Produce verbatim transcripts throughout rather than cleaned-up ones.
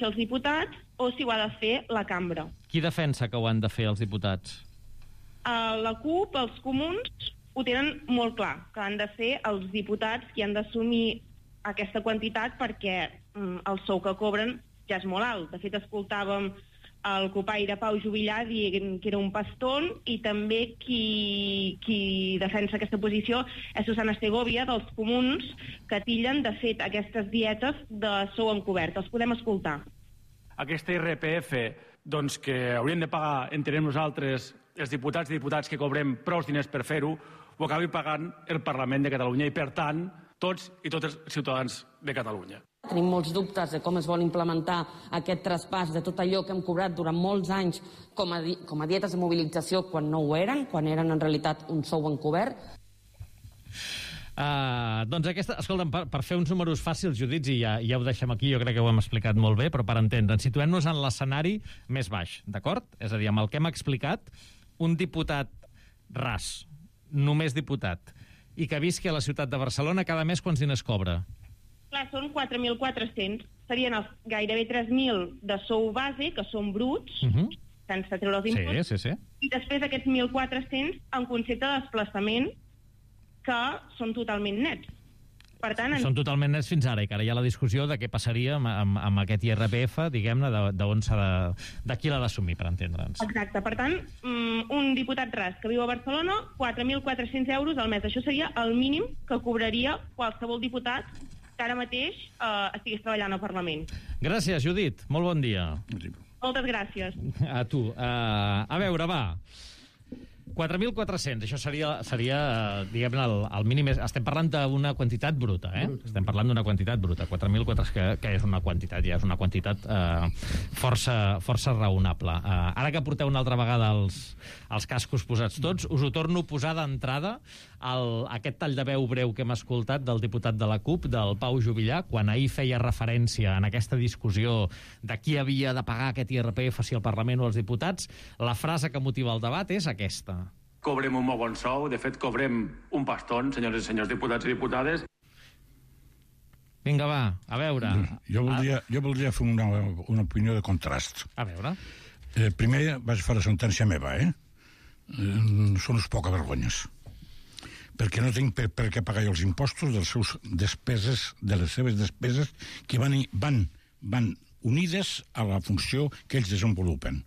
els diputats o si ho ha de fer la cambra. Qui defensa que ho han de fer els diputats? Uh, la CUP, els comuns, ho tenen molt clar, que han de ser els diputats qui han d'assumir aquesta quantitat perquè um, el sou que cobren ja és molt alt. De fet, escoltàvem el copaire Pau Juvillà dient que era un paston, i també qui, qui defensa aquesta posició és Susana Segovia, dels comuns, que tillen, de fet, aquestes dietes de sou encobert. Els podem escoltar. Aquesta I R P F, doncs, que haurien de pagar, entenem nosaltres, els diputats i diputats que cobrem prou diners per fer-ho, ho acabi pagant el Parlament de Catalunya i, per tant, tots i tots els ciutadans de Catalunya. Tenim molts dubtes de com es vol implementar aquest traspàs de tot allò que hem cobrat durant molts anys com a, di com a dietes de mobilització quan no ho eren, quan eren en realitat un sou encobert. Uh, doncs aquesta, escolta'm, per, per fer uns números fàcils, Judit, i ja, ja ho deixem aquí, jo crec que ho hem explicat molt bé, però per entendre'ns, situem-nos en l'escenari més baix, d'acord? És a dir, amb el que hem explicat, un diputat ras, només diputat, i que visqui a la ciutat de Barcelona, cada mes quants diners cobra? Clar, són quatre mil quatre-cents. Serien els gairebé tres mil de sou base, que són bruts, uh -huh. sense treure els imposts, sí, sí, sí. i després aquests mil quatre-cents en concepte de desplaçament, que són totalment nets. Per tant, en... Són totalment nets fins ara, i que ara hi ha la discussió de què passaria amb, amb, amb aquest I R P F, diguem-ne, d'on s'ha de... de qui l'ha d'assumir, per entendre'ns. Exacte. Per tant, un diputat ras que viu a Barcelona, quatre mil quatre-cents euros al mes. Això seria el mínim que cobraria qualsevol diputat que ara mateix eh, estigués treballant al Parlament. Gràcies, Judit. Molt bon dia. Moltes gràcies. A tu. Uh, a veure, va... quatre mil quatre-cents, això seria, seria diguem-ne, el, el mínim. Estem parlant d'una quantitat bruta, eh? Bruta. Estem parlant d'una quantitat bruta. quatre mil quatre-cents, que, que és una quantitat, ja és una quantitat eh, força, força raonable. Eh, ara que porteu una altra vegada els, els cascos posats tots, us ho torno a posar d'entrada el, aquest tall de veu breu que hem escoltat del diputat de la CUP, del Pau Juvillà, quan ahir feia referència en aquesta discussió de qui havia de pagar aquest I R P F, si el Parlament o els diputats. La frase que motiva el debat és aquesta. Cobrem un molt bon sou, de fet cobrem un paston, senyors i senyors diputats i diputades. Vinga, va, a veure. Jo voldria, jo voldria fer una, una opinió de contrast. A veure. Eh, primer vaig fer la sentència meva, eh? eh són uns poca vergonyes. Perquè no tinc per, per què pagar els impostos dels seus despeses, de les seves despeses que van, van, van unides a la funció que ells desenvolupen.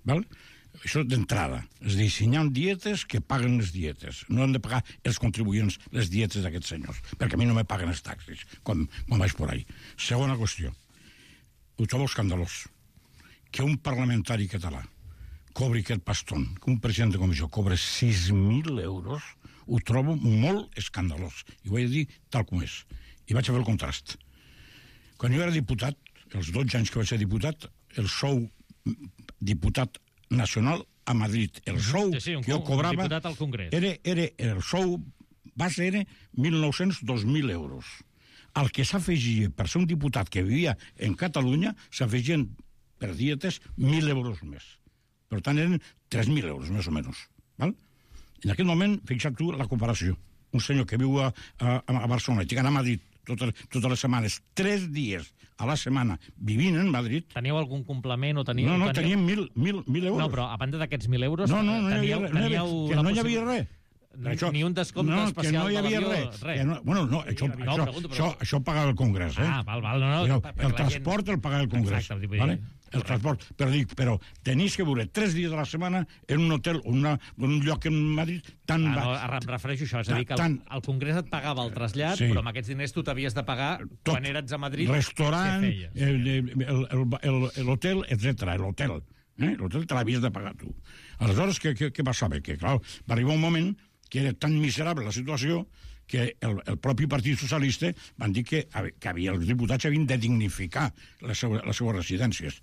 Val? Això d'entrada. És a dir, si hi ha dietes, que paguen les dietes. No han de pagar els contribuents les dietes d'aquests senyors, perquè a mi no me paguen els taxis quan, quan vaig por ahí. Segona qüestió. Ho trobo escandalós. Que un parlamentari català cobri aquest paston, que un president de comissió cobra sis mil euros, ho trobo molt escandalós. I ho he de dir tal com és. I vaig a fer el contrast. Quan jo era diputat, els dotze anys que vaig ser diputat, el sou diputat nacional a Madrid, el sou sí, sí, un, que jo cobrava era, era, el sou base era mil nou-cents a dos mil euros. Al que s'afegia per ser un diputat que vivia en Catalunya s'afegien per dietes mil euros més. Per tant eren tres mil euros més o menys, val? En aquest moment, fixa't tu la comparació, un senyor que viu a, a, a Barcelona i que anar a Madrid totes, totes les setmanes, tres dies a la setmana vivint en Madrid... Teníeu algun complement o teníeu... No, no, teníem mil, mil, mil euros. No, però a banda d'aquests mil euros... No, no, no teníeu, hi havia, teníeu que no hi havia res. Ni, això, ni un descompte no, especial no hi havia de l'avió, res. res. No, bueno, no, això, no, això, pregunto, però... això, això pagava el Congrés, eh? Ah, val, val, no, no. Però, per, el transport gent... el pagava el Congrés. Exacte, vale? El transport, però dic, però tenies que viure tres dies a la setmana en un hotel o una, un lloc en Madrid tan... Ah, no, em refereixo a això, és a dir, que el, tan... el Congrés et pagava el trasllat, sí. Però amb aquests diners tu t'havies de pagar tot, quan eres a Madrid. Restaurant, l'hotel, etcètera, l'hotel. Eh? L'hotel te l'havies de pagar tu. Aleshores, què, què, què passava? Que, clar, va arribar un moment que era tan miserable la situació que el, el propi Partit Socialista van dir que, que havia, els diputats havien de dignificar les seues, les seues residències.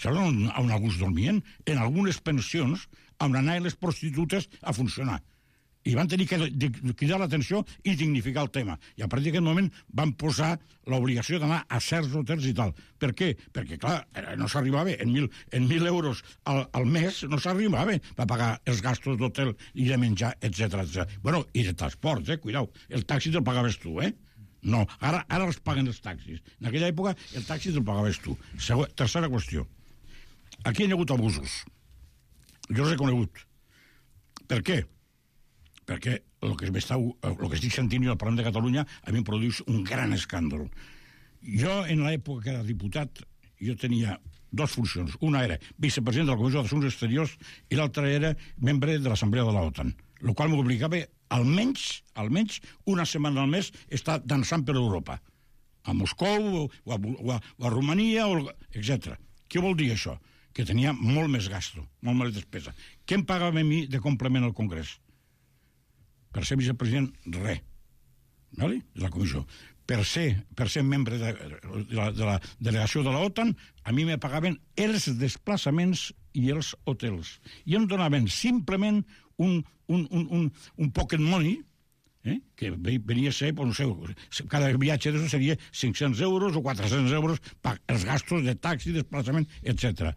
Saps on, on alguns dormien? En algunes pensions on anaven les prostitutes a funcionar. I van tenir que cridar l'atenció i dignificar el tema. I a partir d'aquest moment van posar l'obligació d'anar a certs hotels i tal. Per què? Perquè, clar, no s'arribava en mil, en mil euros al, al mes, no s'arribava a pagar els gastos d'hotel i de menjar, etcètera, etcètera. Bueno, i de transport, eh? Cuidao. El taxi te'l pagaves tu, eh? No, ara, ara els paguen els taxis. En aquella època el taxi te'l pagaves tu. Següent, tercera qüestió. Aquí hi ha hagut abusos. Jo els he conegut. Per què? Perquè el que, el que estic sentint jo al Parlament de Catalunya a mi em produeix un gran escàndol. Jo, en l'època que era diputat, jo tenia dues funcions. Una era vicepresident de la Comissió d'Assumptes Exteriors i l'altra era membre de l'Assemblea de l'OTAN, el qual m'obligava almenys, almenys una setmana al mes estar dansant per Europa, a Moscou o a, o a, o a Romania, o, etcètera. Què vol dir això? Que tenia molt més gasto, molt més despesa. Què em pagava a mi de complement al Congrés? Per ser vicepresident, res. Vale? De la comissió. Per ser, per ser membre de, de, la, de la delegació de l'OTAN, a mi me pagaven els desplaçaments i els hotels. I em donaven simplement un, un, un, un, un pocket money, eh? Que venia a ser, no sé, cada viatge d'això seria cinc-cents euros o quatre-cents euros per els gastos de taxi, desplaçament, etcètera.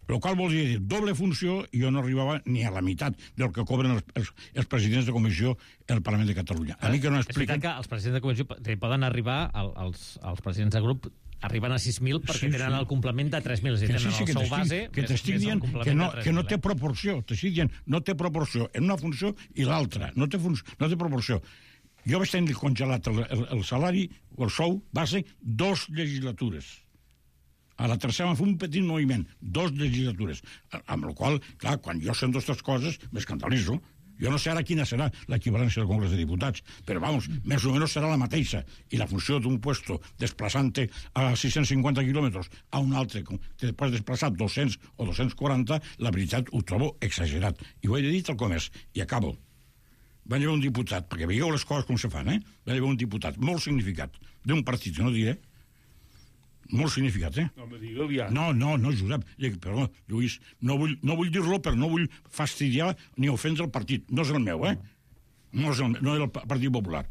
El qual volia dir doble funció i jo no arribava ni a la meitat del que cobren els, els, els presidents de comissió al Parlament de Catalunya. A mi que no expliquen... És veritat que els presidents de comissió poden arribar, els, els presidents de grup arriben a sis mil perquè sí, tenen sí. el complement de tres mil. Si tenen sí, sí, el sou base... Que t'estic dient que no, que no té proporció. T'estic dient, no té proporció en una funció i l'altra. No, té no té proporció. Jo vaig tenir congelat el, el, el salari o el sou base dos legislatures. A la tercera va fer un petit moviment, dos legislatures, amb la qual, clar, quan jo sento aquestes coses, m'escandalitzo. Jo no sé ara quina serà l'equivalència del Congrés de Diputats, però, vamos, més o menys serà la mateixa. I la funció d'un puesto desplaçant-te a sis-cents cinquanta quilòmetres a un altre, que després desplaçar dos-cents o dos-cents quaranta, la veritat ho trobo exagerat. I ho he dit al comerç, i acabo. Va haver un diputat, perquè veieu les coses com se fan, eh? Va haver un diputat molt significat d'un partit, no diré, molt significat, eh? No, me digue ja. No, no, no, Josep. Perdó, Lluís, no vull, no vull dir-lo, però no vull fastidiar ni ofendre el partit. No és el meu, eh? No és el, no és el Partit Popular.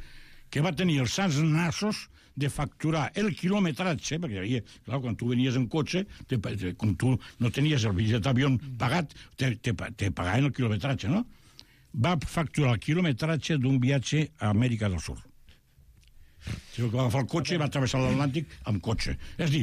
Que va tenir els sants nassos de facturar el quilometratge, perquè hi havia, clar, quan tu venies en cotxe, te, te, com tu no tenies el bitllet d'avió pagat, te, te, te pagaven el quilometratge, no? Va facturar el quilometratge d'un viatge a Amèrica del Sud. Si va agafar el cotxe i va travessar l'Atlàntic amb cotxe. És a dir,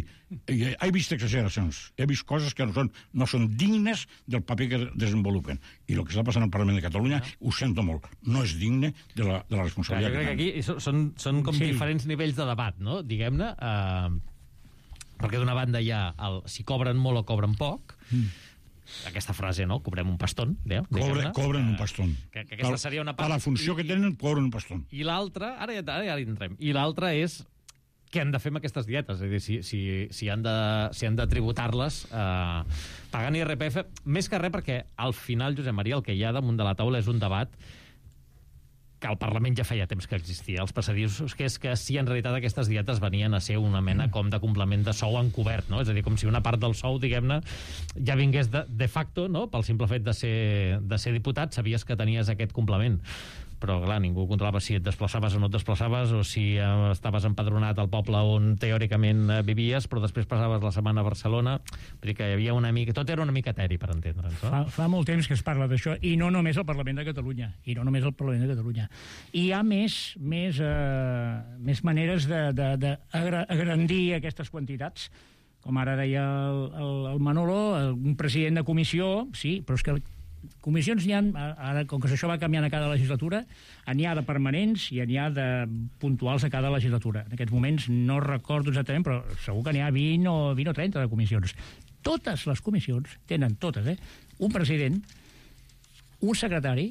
he vist exageracions, he vist coses que no són, no són dignes del paper que desenvolupen. I el que està passant al Parlament de Catalunya, ho sento molt, no és digne de la, de la responsabilitat. Clar, jo crec que aquí són, són com sí. diferents nivells de debat, no? Diguem-ne, eh, perquè d'una banda hi ha el, si cobren molt o cobren poc, mm. aquesta frase, no? Cobrem un paston. Déu, Cobre, cobren un paston. Que, que aquesta seria una part... A la funció que tenen, cobren un paston. I l'altra, ara ja, ara ja hi entrem, i l'altra és què han de fer amb aquestes dietes? És a dir, si, si, si han de, si han de tributar-les eh, pagant I R P F, més que res perquè al final, Josep Maria, el que hi ha damunt de la taula és un debat que al Parlament ja feia temps que existia, els passadissos, que és que si en realitat aquestes dietes venien a ser una mena com de complement de sou encobert, no? És a dir, com si una part del sou, diguem-ne, ja vingués de, de facto, no? Pel simple fet de ser, de ser diputat, sabies que tenies aquest complement. Però, clar, ningú controlava si et desplaçaves o no et desplaçaves, o si eh, estaves empadronat al poble on teòricament eh, vivies, però després passaves la setmana a Barcelona. Vull dir que hi havia una mica... Tot era una mica eteri, per entendre'ns. No? Fa, fa molt temps que es parla d'això, i no només al Parlament de Catalunya, i no només al Parlament de Catalunya. I hi ha més, més, eh, més maneres d'agrandir aquestes quantitats, com ara deia el, el, el Manolo, un president de comissió, sí, però és que comissions n'hi ha, ara, com que això va canviant a cada legislatura, n'hi ha de permanents i n'hi ha de puntuals a cada legislatura. En aquests moments no recordo exactament, però segur que n'hi ha vint o, vint o trenta de comissions. Totes les comissions tenen, totes, eh, un president, un secretari,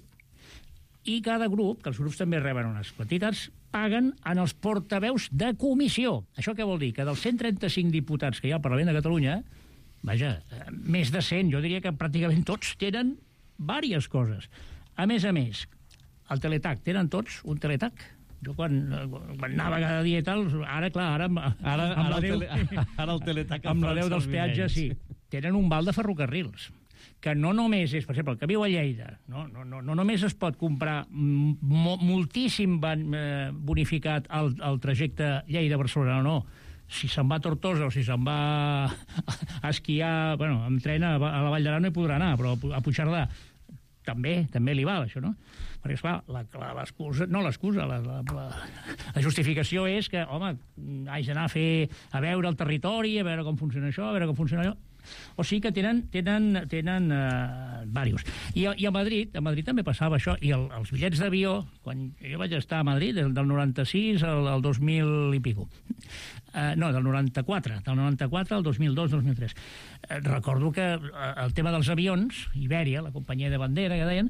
i cada grup, que els grups també reben unes quantitats, paguen en els portaveus de comissió. Això què vol dir? Que dels cent trenta-cinc diputats que hi ha al Parlament de Catalunya, vaja, més de cent, jo diria que pràcticament tots tenen diverses coses. A més a més, el teletac, tenen tots un teletac? Jo quan, quan anava cada dia i tal, ara, clar, ara... Ara, amb ara, la Déu, tele, ara el teletac... Amb la Déu dels peatges, sí. Tenen un val de ferrocarrils, que no només és, per exemple, el que viu a Lleida, no, no, no, no només es pot comprar mo, moltíssim bonificat el, el trajecte Lleida-Barcelona, no, si se'n va a Tortosa o si se'n va a esquiar, bueno, amb tren a la Vall d'Aran no hi podrà anar, però a Puigcerdà també, també li val, això, no? Perquè, esclar, la, la, l'excusa, no l'excusa, la, la, la, la justificació és que, home, haig d'anar a fer, a veure el territori, a veure com funciona això, a veure com funciona allò. O sigui que tenen, tenen, tenen uh, diversos. I, I a Madrid, a Madrid també passava això, i el, els bitllets d'avió, quan jo vaig estar a Madrid, del, del noranta-sis al, al dos mil i pico, uh, no, del noranta-quatre, del noranta-quatre al dos mil dos dos mil tres. Uh, recordo que uh, el tema dels avions, Ibèria, la companyia de bandera, que deien,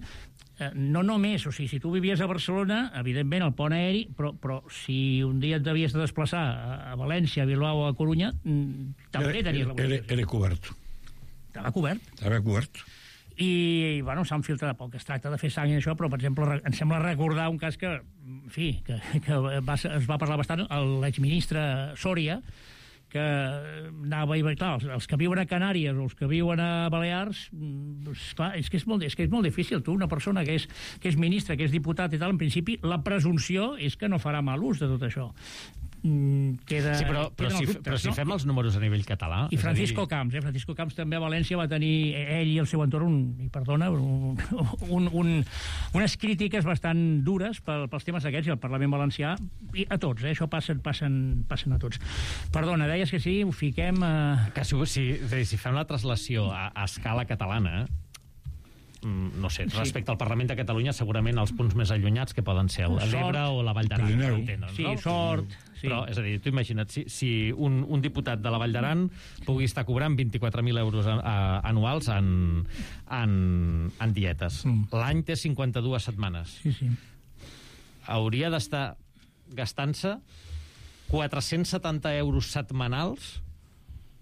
uh, no només, o sigui, si tu vivies a Barcelona, evidentment, el pont aeri, però, però si un dia et devies de desplaçar a, a València, a Bilbao o a Corunya, també tenies la era, era cobert. Estava cobert. Estava cobert. I, bueno, s'han filtrat poc. Es tracta de fer sang i això, però, per exemple, em sembla recordar un cas que, en fi, que, que va, es va parlar bastant, l'exministre Sòria, que anava i clar, els, els que viuen a Canàries o els que viuen a Balears, doncs, clar, és que és molt, és que és molt difícil. Tu, una persona que és, que és ministre, que és diputat i tal, en principi, la presumpció és que no farà mal ús de tot això. Queda, sí, però, però, si, dubtes, però si no? fem els números a nivell català... I Francisco dir... Camps, eh? Francisco Camps també a València va tenir, ell i el seu entorn, un, i perdona, un, un, un, unes crítiques bastant dures pel, pels temes aquests, i el Parlament Valencià, i a tots, eh? Això passen, passen, passen a tots. Perdona, deies que sí, ho fiquem... A... Que si, si, si fem la traslació a, a escala catalana... no sé, respecte sí. al Parlament de Catalunya, segurament els punts més allunyats que poden ser l'Ebre o la Vall d'Aran. Sí, no? Sort... Sí. Però, és a dir, tu imagina't, si, si un, un diputat de la Vall d'Aran pugui estar cobrant vint-i-quatre mil euros a, a, anuals en, en, en dietes. Mm. L'any té cinquanta-dues setmanes. Sí, sí. Hauria d'estar gastant-se quatre-cents setanta euros setmanals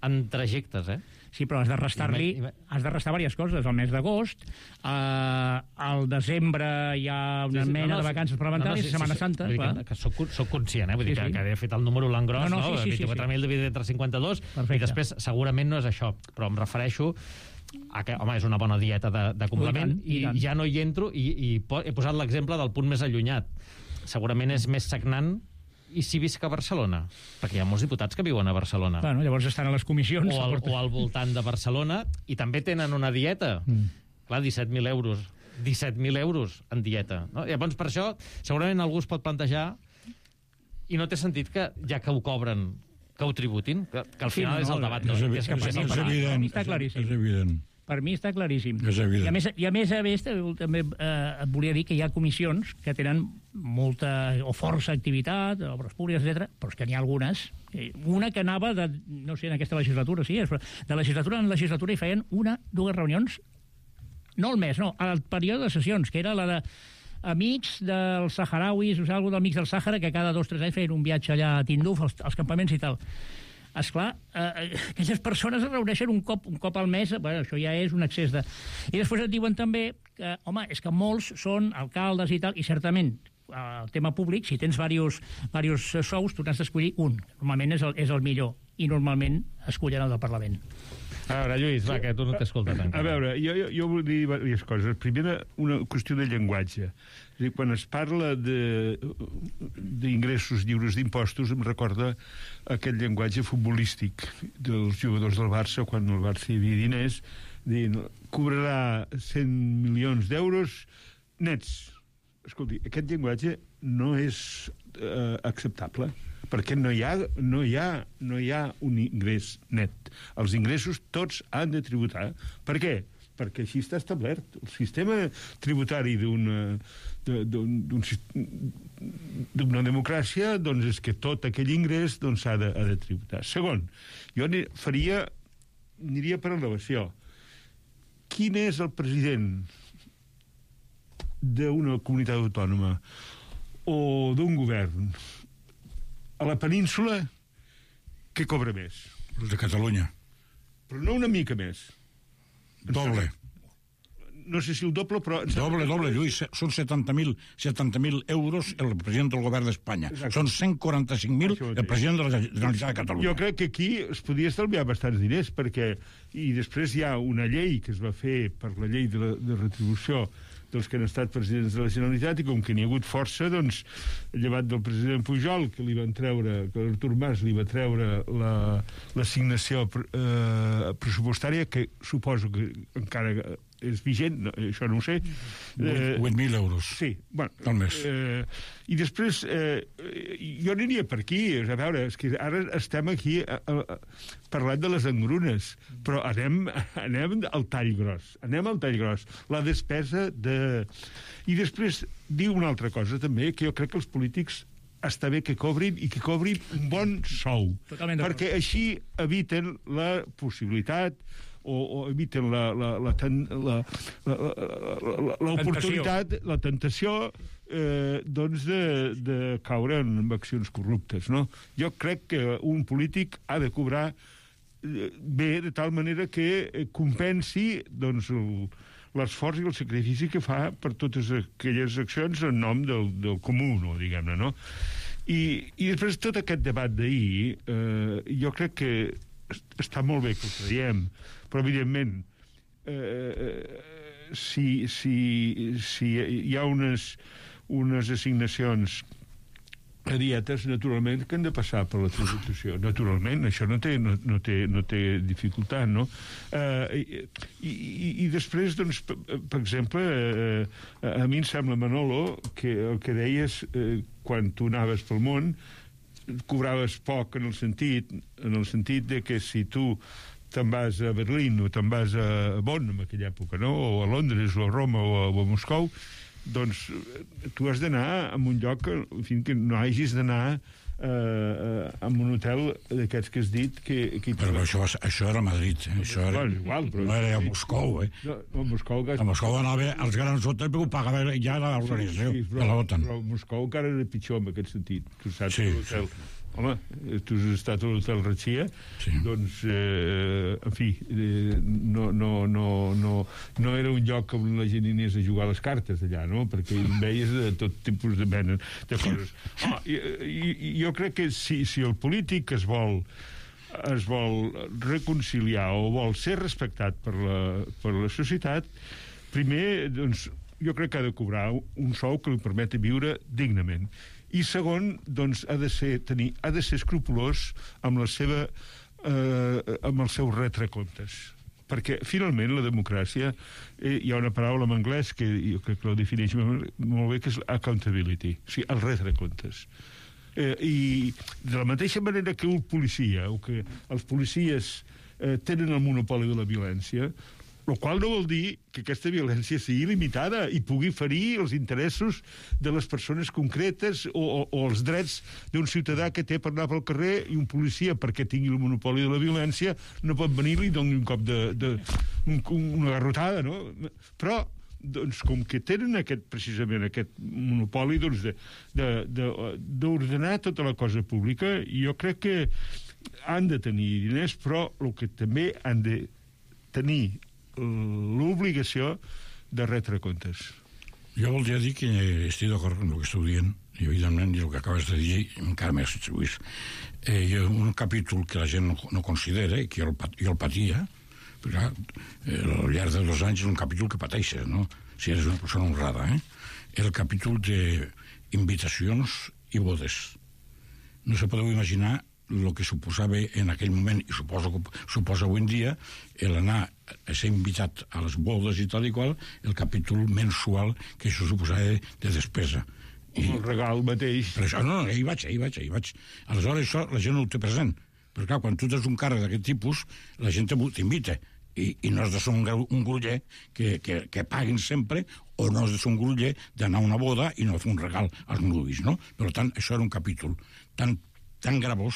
en trajectes, eh? Sí, però has de restar-li, has de restar diverses coses. El mes d'agost, eh, al desembre hi ha una sí, sí, mena no, no, de vacances parlamentàries, no, no, sí, Setmana sí, Santa. Sí, que, que soc, soc conscient, eh? Vull sí, dir que, sí. que he fet el número l'engros, no? no, no? Sí, sí, vint-i-quatre mil sí, sí. dividit entre cinquanta-dos, perfecte. I després segurament no és això, però em refereixo a que, home, és una bona dieta de, de complement, i, tant, i, i ja no hi entro, i, i he posat l'exemple del punt més allunyat. Segurament és més sagnant i si visc a Barcelona, perquè hi ha molts diputats que viuen a Barcelona. Bueno, llavors estan a les comissions. O al, o al voltant de Barcelona, i també tenen una dieta. Mm. Clar, disset mil euros. disset mil euros en dieta. No? Llavors, per això, segurament algú es pot plantejar, i no té sentit que, ja que ho cobren, que ho tributin, que, que al final sí, no, és el debat. No? És, és, és, que és, és evident. Està claríssim. És evident. Per mi està claríssim. És evident. I a més, i a més, a més també eh, et volia dir que hi ha comissions que tenen molta o força activitat, obres públiques, etcètera, però és que n'hi ha algunes. Una que anava, de, no sé, en aquesta legislatura, sí, però de legislatura en legislatura hi feien una, dues reunions, no al mes, no, al període de sessions, que era la de amics dels saharauis, o sigui, algú d'amics del Sàhara, que cada dos o tres anys feien un viatge allà a Tinduf, als, als campaments i tal. Esclar, eh, aquelles persones es reuneixen un cop, un cop al mes, bueno, això ja és un excés de... I després et diuen també que, home, és que molts són alcaldes i tal, i certament, el tema públic, si tens diversos, diversos sous, tu n'has d'escollir un. Normalment és el, és el millor, i normalment escollen el del Parlament. A veure, Lluís, va, que tu no t'escoltes encara. A veure, jo, jo, jo vull dir diverses coses. Primera, una qüestió de llenguatge. És a dir, quan es parla d'ingressos lliures d'impostos, em recorda aquest llenguatge futbolístic dels jugadors del Barça, quan el Barça hi havia diners, dient, cobrarà cent milions d'euros nets. Escolti, aquest llenguatge no és eh, acceptable, perquè no hi, ha, no, hi ha, no hi ha un ingrés net. Els ingressos tots han de tributar. Per què? Perquè així està establert. El sistema tributari d'una d'una democràcia, doncs, és que tot aquell ingrés doncs, ha, de, ha de tributar. Segon, jo faria, aniria per elevació. Quin és el president d'una comunitat autònoma o d'un govern a la península que cobra més? Els de Catalunya. Però no una mica més. Doble. No sé si el doble, però... Doble, doble, Lluís. Són setanta mil euros el president del govern d'Espanya. Són cent quaranta-cinc mil el president de la Generalitat de Catalunya. Jo crec que aquí es podia estalviar bastants diners, perquè... I després hi ha una llei que es va fer per la llei de, la, de retribució dels que han estat presidents de la Generalitat, i com que n'hi ha hagut força, doncs, llevat del president Pujol, que li van treure, que l'Artur Mas li va treure l'assignació eh, pressupostària, que suposo que encara és vigent, no, això no ho sé. vuit mil euros. Sí, bueno. Al mes. Eh, I després, eh, jo aniria per aquí, a veure, és que ara estem aquí a, a, a, parlant de les engrunes, però anem, anem al tall gros, anem al tall gros. La despesa de... I després, diu una altra cosa també, que jo crec que els polítics està bé que cobrin i que cobrin un bon sou. Totalment d'acord. Perquè així eviten la possibilitat o, o eviten la, la, la, la, la, la, l'oportunitat, la tentació eh, doncs de, de caure en accions corruptes, no? Jo crec que un polític ha de cobrar bé de tal manera que compensi doncs el l'esforç i el sacrifici que fa per totes aquelles accions en nom del, del comú, no, diguem-ne, no? I, i després tot aquest debat d'ahir, eh, jo crec que està molt bé que ho traiem, però evidentment eh, si, si, si hi ha unes, unes assignacions a dietes, naturalment, que han de passar per la tributació. Naturalment, això no té, no, no té, no té dificultat, no? Eh, i, i, I després, doncs, per, per exemple, eh, a mi em sembla, Manolo, que el que deies eh, quan tu anaves pel món, cobraves poc en el sentit, en el sentit de que si tu te'n vas a Berlín o te'n vas a Bonn en aquella època, no? O a Londres o a Roma o a, o a Moscou, doncs tu has d'anar a un lloc en fi, que no hagis d'anar eh, a un hotel d'aquests que has dit que... que però això, això era a Madrid, eh? Això era, bueno, igual, però... no era a Moscou, eh? No, a Moscou... Que... A Moscou anava als grans hotels perquè ho pagava ja l'organització sí, sí, de l'OTAN. Però a Moscou encara era pitjor en aquest sentit. Tu saps sí, l'hotel... Sí. Home, tu has estat a l'hotel Ratxia, sí. Doncs, eh, en fi, eh, no, no, no, no, no era un lloc on la gent anés a jugar les cartes allà, no? Perquè hi veies de tot tipus de mena de coses. Oh, i, i, jo crec que si, si el polític es vol es vol reconciliar o vol ser respectat per la, per la societat, primer, doncs, jo crec que ha de cobrar un sou que li permeti viure dignament. I segon, doncs, ha de ser, tenir, ha de ser escrupolós amb la seva eh, amb els seus retrecomptes. Perquè, finalment, la democràcia, eh, hi ha una paraula en anglès que jo crec que la defineix molt bé, que és accountability, o sigui, el retrecomptes. Eh, I de la mateixa manera que un policia, o que els policies eh, tenen el monopoli de la violència, el qual no vol dir que aquesta violència sigui limitada i pugui ferir els interessos de les persones concretes o, o, o els drets d'un ciutadà que té per anar pel carrer, i un policia, perquè tingui el monopoli de la violència, no pot venir-li i donar un cop de, de un, una garrotada, no? Però doncs, com que tenen aquest, precisament aquest monopoli doncs, de, de, de, d'ordenar tota la cosa pública, jo crec que han de tenir diners, però el que també han de tenir l'obligació de retre comptes. Jo voldria dir que estic d'acord amb el que esteu dient, i evidentment, i el que acabes de dir encara més atribuís. Eh, hi ha un capítol que la gent no, no considera, i que jo el, jo el patia, perquè eh, al llarg de dos anys és un capítol que pateixes, no? Si eres una persona honrada, eh? El capítol d'invitacions i bodes. No se podeu imaginar el que suposava en aquell moment, i suposo que suposa avui en dia, l'anar a ser invitat a les bodes i tal i qual, el capítol mensual que això suposava de despesa. I el regal mateix. Per això, no, no, hi vaig, hi vaig, hi vaig. Aleshores, això la gent no ho té present. Però clar, quan tu tens un càrrec d'aquest tipus, la gent t'invita. I, i no has de ser un, un gruller que, que, que paguin sempre, o no has de ser un gruller d'anar a una boda i no fer un regal als nuvis, no? Per tant, això era un capítol tan tan gravós,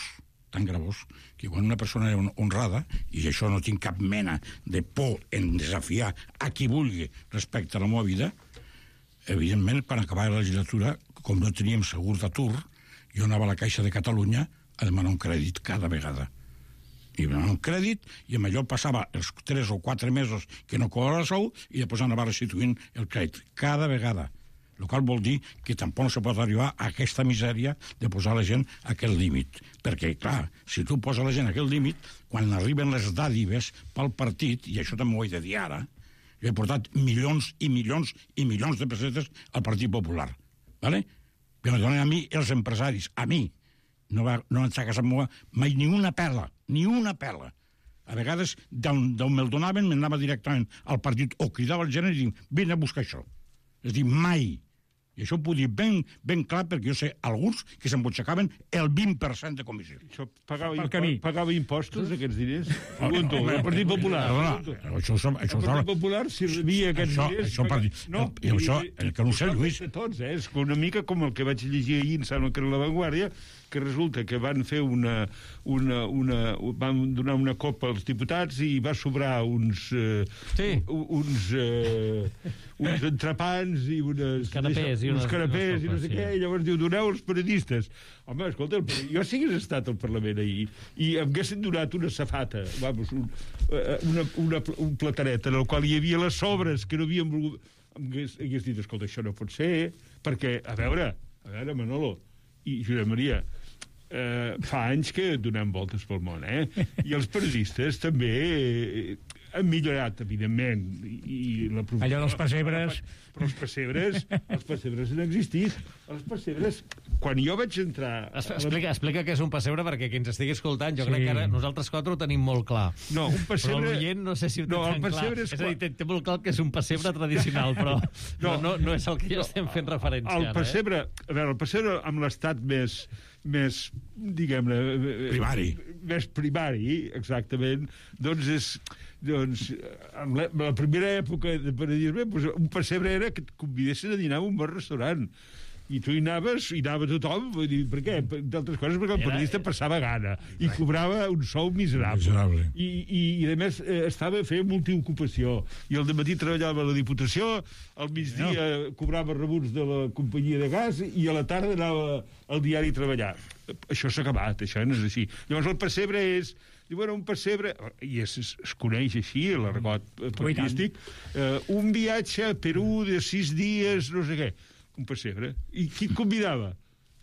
tan gravós, que quan una persona és honrada, i això no tinc cap mena de por en desafiar a qui vulgui respecte a la meva vida, evidentment, per acabar la legislatura, com no teníem segur d'atur, jo anava a la Caixa de Catalunya a demanar un crèdit cada vegada. I demanava un crèdit, i amb allò passava els tres o quatre mesos que no cobrava el sou, i després anava restituint el crèdit cada vegada. El qual vol dir que tampoc no se pot arribar a aquesta misèria de posar la gent a aquest límit. Perquè, clar, si tu poses la gent a aquest límit, quan arriben les dàdives pel partit, i això també ho he de dir ara, jo he portat milions i milions i milions de pessetes al Partit Popular. ¿Vale? Que me donen a mi els empresaris, a mi. No va, no ens ha casat mai ni una pela, ni una pela. A vegades, d'on me'l donaven, m'anava directament al partit o cridava al gerent i dic, vine a buscar això. És a dir, mai. I això ho puc dir ben, ben clar perquè jo sé alguns que s'embutxacaven el vint per cent de comissió. Això pagava, impo pagava impostos, aquests diners? Pregunto, el Partit Popular. Això el Partit Popular servia aquests diners... No, això, que no sé, Lluís. Tots, eh? És una mica com el que vaig llegir ahir, em sembla que era La Vanguardia, que resulta que van fer una, una, una... van donar una copa als diputats i va sobrar uns... Eh, sí. uns... Eh, uns entrepans i unes... Canapés i uns canapés i no sé què, i llavors diu, doneu als periodistes. Home, escolta, jo si hagués estat al Parlament ahir i em haguessin donat una safata, vamos, un, una, una, un plataret en el qual hi havia les sobres que no havien volgut... Em hagués, hagués dit, escolta, això no pot ser, perquè, a veure, a veure, Manolo i Josep Maria, eh, fa anys que donem voltes pel món, eh? I els periodistes també... Eh, han millorat, evidentment, i, i la allò dels pessebres... Però els pessebres, els pessebres han existit. Els pessebres, quan jo vaig entrar... Explica, explica què és un pessebre, perquè qui ens estigui escoltant, jo sí. crec que ara nosaltres quatre ho tenim molt clar. No, un pessebre... Però l'oient no sé si ho té no, tan clar. És, és a dir, té, té molt clar que és un pessebre tradicional, però no, no, no és el que ja estem fent referència el ara. Pessebre, eh? A veure, el pessebre amb l'estat més... més, diguem-ne... Primari. Més primari, exactament, doncs és... Doncs, en la, en la primera època de periodisme, doncs un pessebre era que et convidessin a dinar en un bon restaurant. I tu hi anaves, hi anava tothom, vull dir, per què? D'altres coses, perquè el periodista passava gana i cobrava un sou miserable. miserable. I, i, I, a més, eh, estava fent multiocupació. I al dematí treballava a la Diputació, al migdia no. cobrava rebuts de la companyia de gas i a la tarda anava al diari a treballar. Això s'ha acabat, això no és així. Llavors el pessebre és... Diu, bueno, un pessebre, i es, es, es coneix així, l'argot periodístic, eh, un viatge a Perú de sis dies, no sé què, un pessebre. I qui et convidava?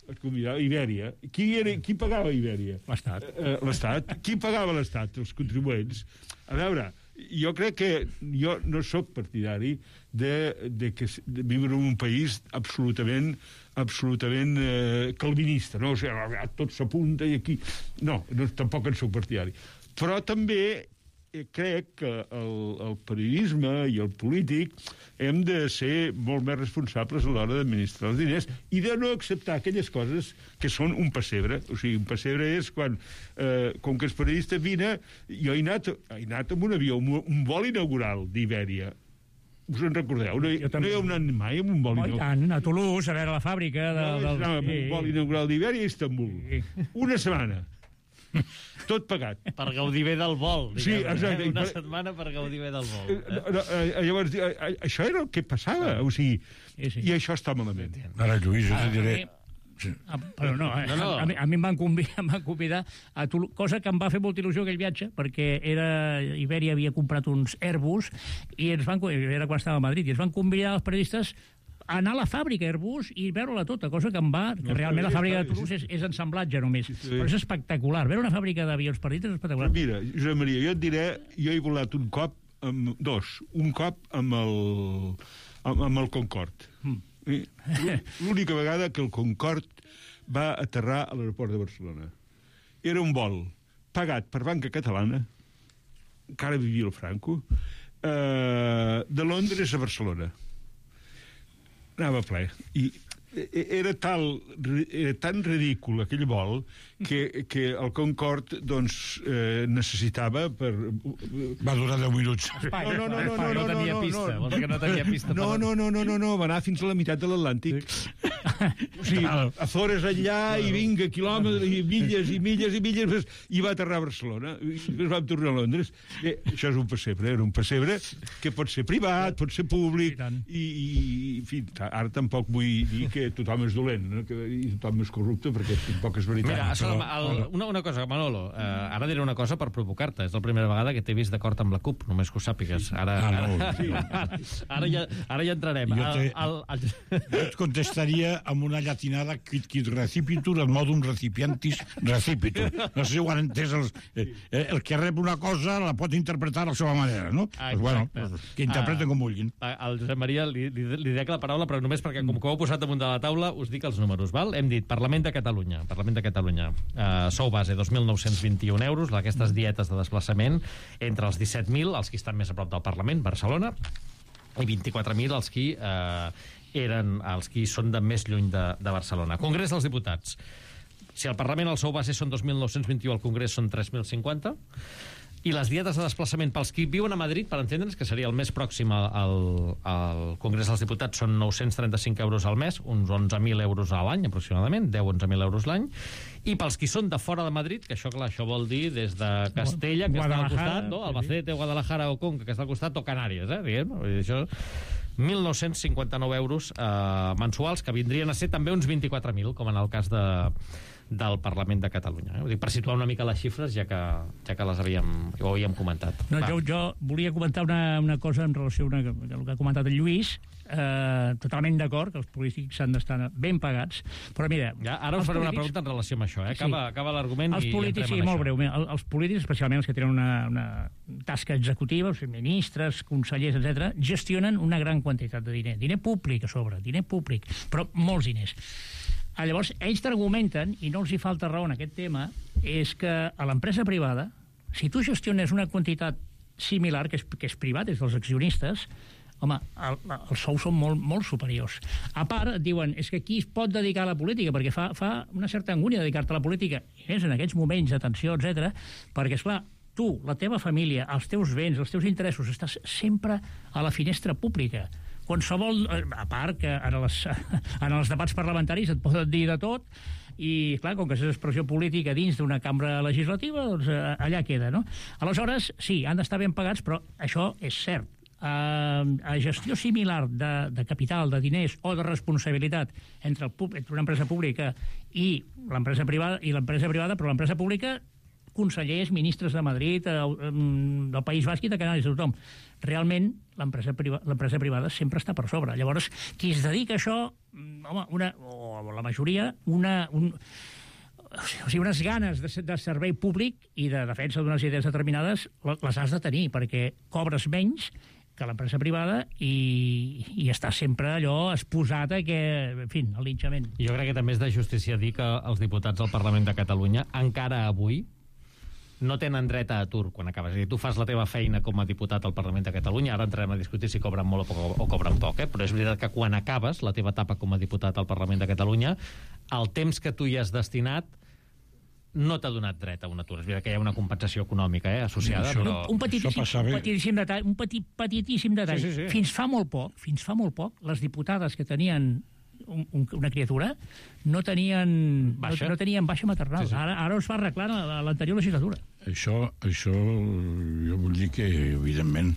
Et convidava Ibèria. Qui, era, qui pagava Ibèria? L'Estat. Eh, L'Estat. Qui pagava l'Estat? Els contribuents. A veure, jo crec que jo no sóc partidari de, de, que, de viure en un país absolutament absolutament eh, calvinista, no? O sigui, tot s'apunta i aquí... No, no, tampoc en soc partidari. Però també eh, crec que el, el periodisme i el polític hem de ser molt més responsables a l'hora d'administrar els diners i de no acceptar aquelles coses que són un pessebre. O sigui, un pessebre és quan, eh, com que és periodista, vine... Jo he anat, he anat amb un avió, un, un vol inaugural d'Ibèria. Us en recordeu? No, no hi heu anat mai amb un vol inaugural? A Toulouse, a veure la fàbrica... De, no, del... amb un vol inaugural d'Ibèria a Istanbul. Sí. Una setmana. Tot pagat. Per gaudir bé del vol, diguem. Sí, exacte. Eh? Una per... setmana per gaudir bé del vol. Eh? No, eh, llavors, eh, això era el que passava. O sigui, sí, sí. I això està malament. Ara, Lluís, jo te diré... Sí. Ah, però no, eh? no, no. A, a, mi, a mi em van convidar, em van convidar a Toulouse, cosa que em va fer molta il·lusió aquell viatge, perquè era, Ibèria havia comprat uns Airbus i ens van, era quan estava a Madrid, i ens van convidar els periodistes a anar a la fàbrica Airbus i veure-la tota, cosa que em va... Que realment la fàbrica de Toulouse és, és ensamblatge només, sí, sí. Però és espectacular. Veure una fàbrica d'avions petits és espectacular. Però mira, Josep Maria, jo et diré, jo he volat un cop, amb, dos, un cop amb el, amb, amb el Concorde. Mm. L'única vegada que el Concorde va aterrar a l'aeroport de Barcelona. Era un vol pagat per Banca Catalana, encara vivia el Franco, eh, de Londres a Barcelona. Anava ple. I era, tal, era tan ridícul aquell vol que, que el Concorde doncs, eh, necessitava per... Va durar deu minuts. No, no, no, no, no, no, tenia no, pista. no, no, no tenia pista. No, no, no, no, no, no, va anar fins a la meitat de l'Atlàntic. O sigui, Azores enllà i vinga, quilòmetres, i milles i milles i milles, i va aterrar a Barcelona. I es vam tornar a Londres. Eh, això és un pessebre, era un pessebre que pot ser privat, pot ser públic, i, i en fi, ara tampoc vull dir que tothom és dolent, no? Que, i tothom és corrupte, perquè tampoc és veritat. Mira, però, el, una, una cosa, Manolo, eh, ara diré una cosa per provocar-te. És la primera vegada que t'he vist d'acord amb la CUP, només que ho sàpigues. Ara, ah, no, ara, sí. ara, ara, ja, ara ja entrarem. Jo, te, el, el, el... jo et contestaria amb una llatinada quid quid recipitur, el modum recipientis recipitur. No sé si ho han entès. Els, eh, el que rep una cosa la pot interpretar a la seva manera, no? Ah, pues, bueno, que interpreten ah, com vulguin. Al Josep Maria li, li, li dec la paraula, però només perquè, com que ho heu posat damunt de de la taula us dic els números, val? Hem dit Parlament de Catalunya, Parlament de Catalunya, uh, sou base dos mil nou-cents vint-i-un euros, aquestes dietes de desplaçament entre els disset mil, els qui estan més a prop del Parlament, Barcelona, i vint-i-quatre mil els qui eh, eren els qui són de més lluny de, de Barcelona. Congrés dels Diputats. Si al Parlament el sou base són dos mil nou-cents vint-i-u, al Congrés són tres mil cinquanta, i les dietes de desplaçament pels qui viuen a Madrid, per entendre'ns, que seria el més pròxim al, al Congrés dels Diputats, són nou-cents trenta-cinc euros al mes, uns onze mil euros a l'any, aproximadament, deu a onze mil euros l'any, i pels qui són de fora de Madrid, que això, clar, això vol dir des de Castella, que està al costat, no? Albacete, Guadalajara o Conca, que està al costat, o Canàries, eh, diguem, no? Això... mil nou-cents cinquanta-nou euros eh, mensuals, que vindrien a ser també uns vint-i-quatre mil, com en el cas de, del Parlament de Catalunya. Eh? Ho dic per situar una mica les xifres, ja que, ja que les havíem, ho havíem comentat. No, jo, jo volia comentar una, una cosa en relació a el que ha comentat el Lluís. Eh, totalment d'acord que els polítics s'han d'estar ben pagats, però mira... Ja, ara us faré polítics... una pregunta en relació amb això, eh? Acaba, sí. acaba l'argument i polítics, entrem sí, en molt això. breu. Mira, els polítics, especialment els que tenen una, una tasca executiva, els ministres, consellers, etcètera, gestionen una gran quantitat de diner. Diner públic a sobre, diner públic, però molts diners. Llavors, ells t'argumenten, i no els hi falta raó en aquest tema, és que a l'empresa privada, si tu gestiones una quantitat similar, que és, que és privat, és dels accionistes, home, el, els sous són molt, molt superiors. A part, et diuen, és que qui es pot dedicar a la política? Perquè fa, fa una certa angúnia dedicar-te a la política, i més en aquests moments de tensió, etcètera, perquè, esclar, tu, la teva família, els teus béns, els teus interessos, estàs sempre a la finestra pública. Qualsevol, a part que en els, en els debats parlamentaris et poden dir de tot, i, clar, com que és expressió política dins d'una cambra legislativa, doncs allà queda, no? Aleshores, sí, han d'estar ben pagats, però això és cert. A, a gestió similar de, de capital, de diners o de responsabilitat entre, el, entre una empresa pública i l'empresa privada, i l'empresa privada, però l'empresa pública, consellers, ministres de Madrid, eh, del País Basc i de Canàries, de tothom. Realment, l'empresa priva, l'empresa privada sempre està per sobre. Llavors, qui es dedica a això, home, una, o la majoria, una... Un, o sigui, unes ganes de, de servei públic i de defensa d'unes idees determinades les has de tenir, perquè cobres menys que l'empresa privada i, i està sempre allò exposat a que, en fi, al linxament. Jo crec que també és de justícia dir que els diputats del Parlament de Catalunya encara avui no tenen dret a atur quan acabes. És a dir, tu fas la teva feina com a diputat al Parlament de Catalunya, ara entrarem a discutir si cobren molt o, poc, o cobren poc, eh? Però és veritat que quan acabes la teva etapa com a diputat al Parlament de Catalunya, el temps que tu hi has destinat no t'ha donat dret a un atur. És veritat que hi ha una compensació econòmica eh, associada, això, però... Un petitíssim, un petitíssim detall, un petit, petitíssim detall. Sí, sí, sí. Fins fa molt poc, fins fa molt poc, les diputades que tenien un, un, una criatura no tenien baixa, no, no tenien baixa maternal. Sí, sí. Ara, ara es va arreglar a l'anterior legislatura. Això, això jo vull dir que, evidentment,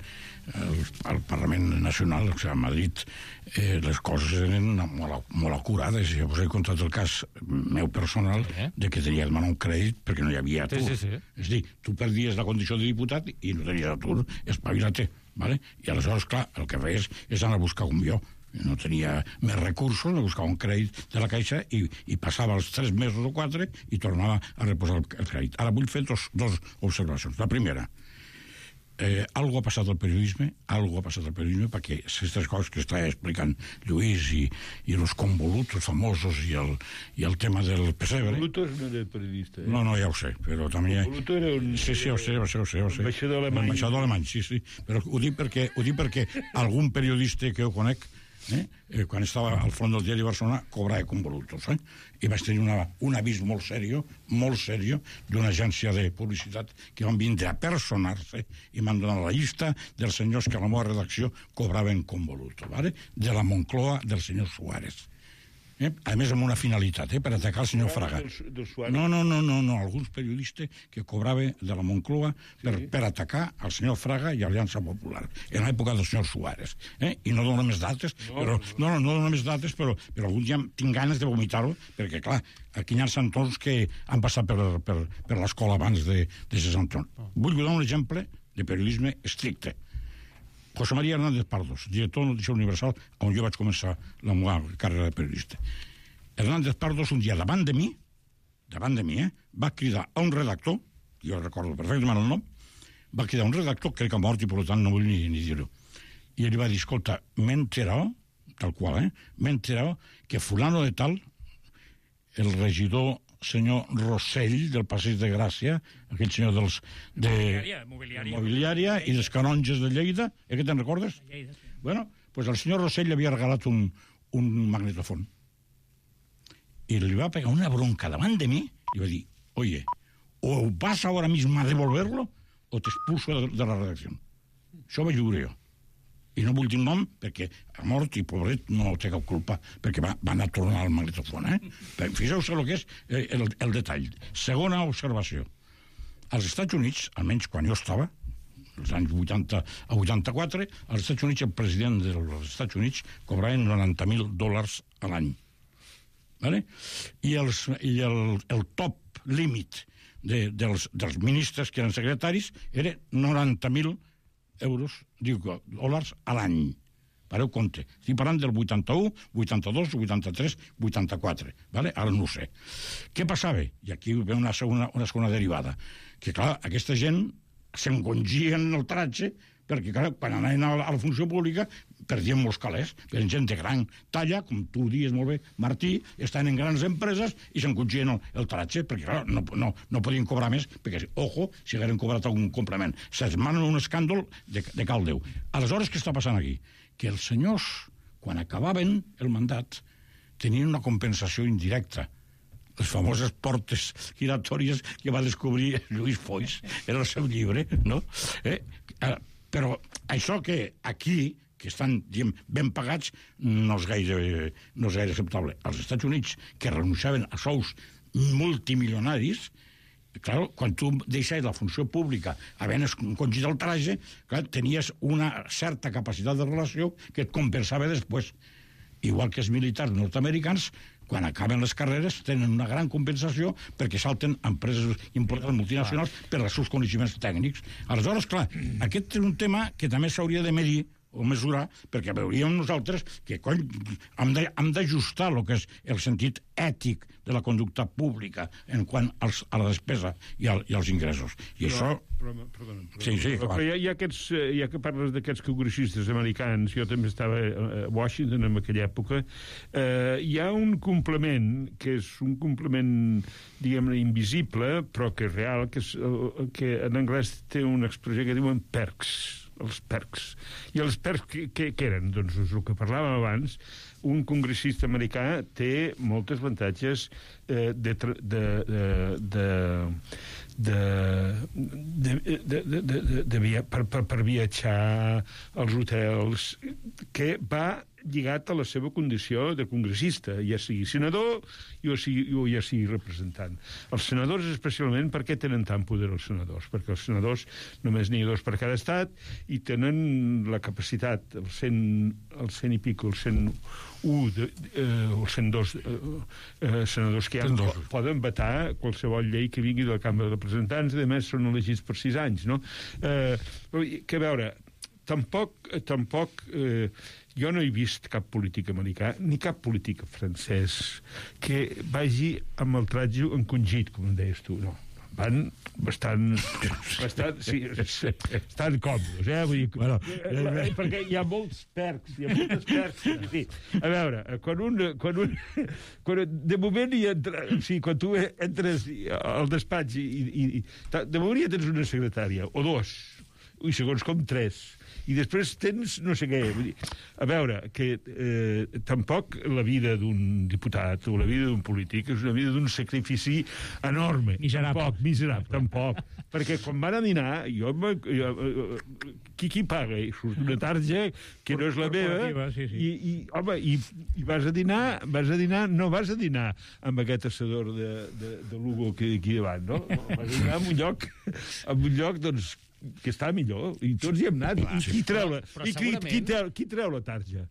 el, el Parlament Nacional, o sigui, a Madrid, eh, les coses eren molt, molt acurades. Jo us he contat el cas meu personal eh? de que tenia que demanar un crèdit perquè no hi havia atur. Sí, sí, sí. És a dir, tu perdies la condició de diputat i no tenies atur, espavila-te. ¿Vale? I aleshores, clar, el que feies és anar a buscar un jo. No tenia més recursos, no buscava un crèdit de la Caixa i, i passava els tres mesos o quatre i tornava a reposar el, el crèdit. Ara vull fer dos, dos observacions. La primera, eh, algo ha passat al periodisme, algo ha passat al periodisme perquè aquestes coses que està explicant Lluís i, i els convolutos famosos i el, i el tema del pessebre... Convolutos no era periodista, eh? No, no, ja ho sé, però també... Convoluto era un... Sí, sí, ho sé, ho sé, ho sé. Ho sé. Ambaixador alemany. Ambaixador alemany, sí, sí. Però ho dic perquè, ho dic perquè algun periodista que jo conec Eh? Eh, quan estava al front del diari de Barcelona cobrava convolutos eh? I vaig tenir una, un avís molt serio molt serio d'una agència de publicitat que van vindre a personar-se i m'han donat la llista dels senyors que a la meva redacció cobraven convoluto, ¿vale? De la Moncloa del senyor Suárez eh? A més amb una finalitat eh? Per atacar el senyor Fraga del, del no, no, no, no, no, alguns periodistes que cobraven de la Moncloa per, sí. per atacar el senyor Fraga i Aliança Popular en l'època del senyor Suárez eh? I no dono més dates no, però, no, no, no dono més dates però, però algun dia tinc ganes de vomitar-ho perquè clar, aquí hi ha santons que han passat per, per, per l'escola abans de, de ser santons. Vull donar un exemple de periodisme estricte. José María Hernández Pardos, director de Notícia Universal, on jo vaig començar la meva carrera de periodista. Hernández Pardos, un dia davant de mi, davant de mi, eh, va cridar a un redactor, jo recordo perfectament el nom, va cridar a un redactor, crec que ha mort i per tant no vull ni, ni dir-ho, i ell va dir, escolta, m'he enterat tal qual, eh? M'he enterat que fulano de tal, el regidor senyor Rossell, del Passeig de Gràcia, aquell senyor dels... de Mobiliària, mobiliària. Mobiliària i dels canonges de Lleida, eh, que te'n recordes? Lleida, sí. Bueno, pues el senyor Rossell li havia regalat un, un magnetofon. I li va pegar una bronca davant de mi i va dir, oye, o vas ahora mismo a devolverlo o te expulso de, de la redacció. Això vaig veure jo. I no vull dir nom perquè ha mort i pobret no té cap culpa perquè va, va anar a tornar al magnetofon, eh? Fixeu-vos el que és eh, el, el detall. Segona observació. Als Estats Units, almenys quan jo estava, als anys vuitanta a vuitanta-quatre, als Estats Units el president dels Estats Units cobrava noranta mil dòlars a l'any. Vale? I, els, i el, el top límit de, dels, dels ministres que eren secretaris era noranta mil euros, diu, dòlars a l'any. Pareu compte. Estic parlant del vuitanta-u, vuitanta-dos, vuitanta-tres, vuitanta-quatre. Vale? Ara no ho sé. Què passava? I aquí ve una segona, una segona derivada. Que, clar, aquesta gent s'engongien el tratge perquè, clar, quan anaven a la, a la funció pública perdien molts calés. Eren gent de gran talla, com tu dius molt bé, Martí, estan en grans empreses i s'engongien el, el tratge perquè, clar, no, no, no podien cobrar més perquè, ojo, si hagueren cobrat algun complement. Se'ls manen un escàndol de, de cal Déu. Aleshores, què està passant aquí? Que els senyors, quan acabaven el mandat, tenien una compensació indirecta. Les famoses portes giratòries que va descobrir Lluís Foix en el seu llibre, no? Eh? Però això que aquí, que estan, diguem, ben pagats, no és gaire, no és gaire acceptable. Als Estats Units, que renunciaven a sous multimilionaris, clar, quan tu deixaves la funció pública havent encongit el traje, clar, tenies una certa capacitat de relació que et compensava després. Igual que els militars nord-americans, quan acaben les carreres, tenen una gran compensació perquè salten empreses importants multinacionals per als seus coneixements tècnics. Aleshores, clar, aquest és un tema que també s'hauria de medir o mesurar, perquè veuríem nosaltres que, cony, hem d'ajustar el que és el sentit ètic de la conducta pública en quant als, a la despesa i, al, i als ingressos. I però, això... Però, perdona, perdona. Sí, sí, però hi ha, hi ha aquests, ja que parles d'aquests congressistes americans, jo també estava a Washington en aquella època, eh, hi ha un complement, que és un complement, diguem-ne, invisible, però que és real, que, és, que en anglès té una expressió que diuen perks, els perks. I els perks què, què, què eren? Doncs és el que parlàvem abans. Un congressista americà té molts avantatges eh, de, de, de, de, de, de, de, de, de, de via, per, per, per viatjar als hotels, que va lligat a la seva condició de congressista, ja sigui senador o, sigui, o ja sigui representant. Els senadors, especialment, per què tenen tant poder els senadors? Perquè els senadors només n'hi ha dos per cada estat i tenen la capacitat, el cent, el cent i pico, el cent u, de, eh, el cent dos eh, eh, senadors que hi ha, poden vetar qualsevol llei que vingui de la Cambra de Representants, i a més són elegits per sis anys, no? Eh, que a veure, tampoc, tampoc eh, jo no he vist cap polític americà ni cap polític francès que vagi amb el tratge encongit, com em deies tu, no. Van bastant, bastant, sí, bastant còmodes, eh? Vull dir, bueno, eh, perquè hi ha molts perks, hi ha moltes perks. Sí. A veure, quan un... Quan un quan, de moment hi entra... O sigui, quan tu entres al despatx i, i, i de moment ja tens una secretària, o dos, i segons com tres, i després tens no sé què. Vull dir, a veure, que eh, tampoc la vida d'un diputat o la vida d'un polític és una vida d'un sacrifici enorme. Miserable. Tampoc, miserable, tampoc. Perquè quan van a dinar, jo, jo, qui qui paga? I surt una tarja que no és la meva, sí, sí. I, i, home, i, i vas a dinar, vas a dinar, no vas a dinar amb aquest assador de, de, de Lugo que aquí davant, no? Vas a dinar en un lloc, en un lloc, doncs, que està millor, i tots hi hem anat. Clar, I qui treu la, i qui, qui, treu, qui treu la tarja?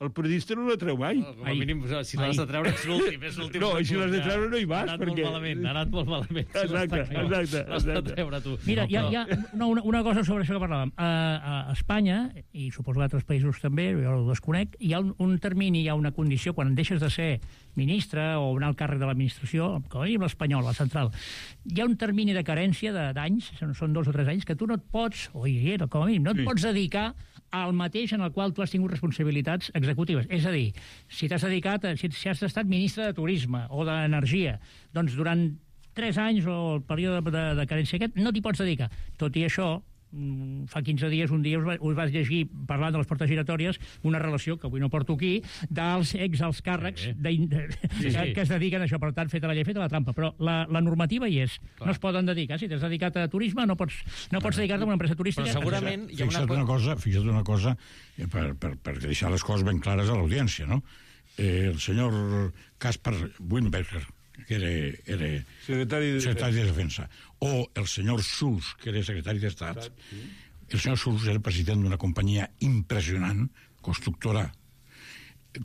El periodista no la treu mai. No, com a mínim, si l'has de treure, ets l'últim. És l'últim. No, i si l'has de treure no hi vas. Ha anat perquè... molt malament, ha anat molt malament. Exacte, Si exacte. l'has de treure, tu. Mira, hi ha, hi ha no, una, una cosa sobre això que parlàvem. A, a Espanya, i suposo que a altres països també, jo ho desconec, hi ha un, un termini, hi ha una condició, quan deixes de ser ministre o un alt càrrec de l'administració, com a mínim l'espanyol, la central, hi ha un termini de carència d'anys, són dos o tres anys, que tu no et pots, o hi era, com a mínim, no et pots dedicar al mateix en el qual tu has tingut responsabilitats executives. És a dir, si t'has dedicat, a, si, si has estat ministre de Turisme o d'Energia, doncs durant tres anys o el període de, de carència aquest no t'hi pots dedicar. Tot i això, fa quinze dies, un dia us, va, us vas llegir, parlant de les portes giratòries, una relació, que avui no porto aquí, dels ex-alts càrrecs sí, de, de, sí, sí. que es dediquen a això. Per tant, feta la llei, feta la trampa. Però la, la normativa hi és. Clar. No es poden dedicar. Si t'has dedicat a turisme, no pots, no pots dedicar-te a una empresa turística. Però segurament hi ha una... Fixa't una cosa, fixa't una cosa per, per, per deixar les coses ben clares a l'audiència, no? Eh, el senyor Caspar Weinberger, que era, era secretari, de... secretari de Defensa, o el senyor Schulz, que era secretari d'Estat. Sí. El senyor Schulz era president d'una companyia impressionant, constructora.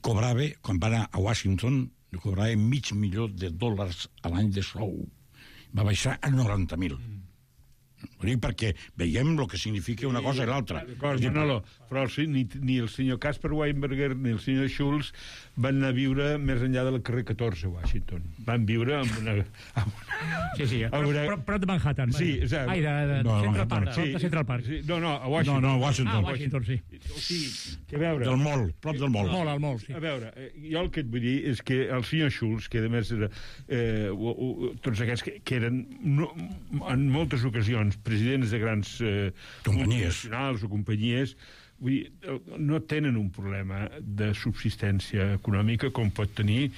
Cobrava, quan va anar a Washington, cobrava mig milió de dòlars a l'any de sou. Va baixar a noranta mil. Mm. Ho dic perquè veiem el que significa una cosa i l'altra. No, no, però sí, ni, ni el senyor Caspar Weinberger ni el senyor Schulz van anar a viure més enllà del carrer catorze a Washington. Van viure amb una... Amb una sí, sí, amb una... prop, prop de Manhattan. Sí, o sigui... Ai, de, de, no, Central Park. Sí, de Central Park. Sí, no, no, a Washington. No, no, a Washington. Ah, Washington, sí. O sigui, que a veure... Del mol, prop del mol. Mol, al mol, sí. A veure, jo el que et vull dir és que el senyor Schulz, que a més era... Eh, o, o, tots aquests que, que eren no, en moltes ocasions presidents de grans eh, companyies nacionals o companyies, vull dir, no tenen un problema de subsistència econòmica com pot tenir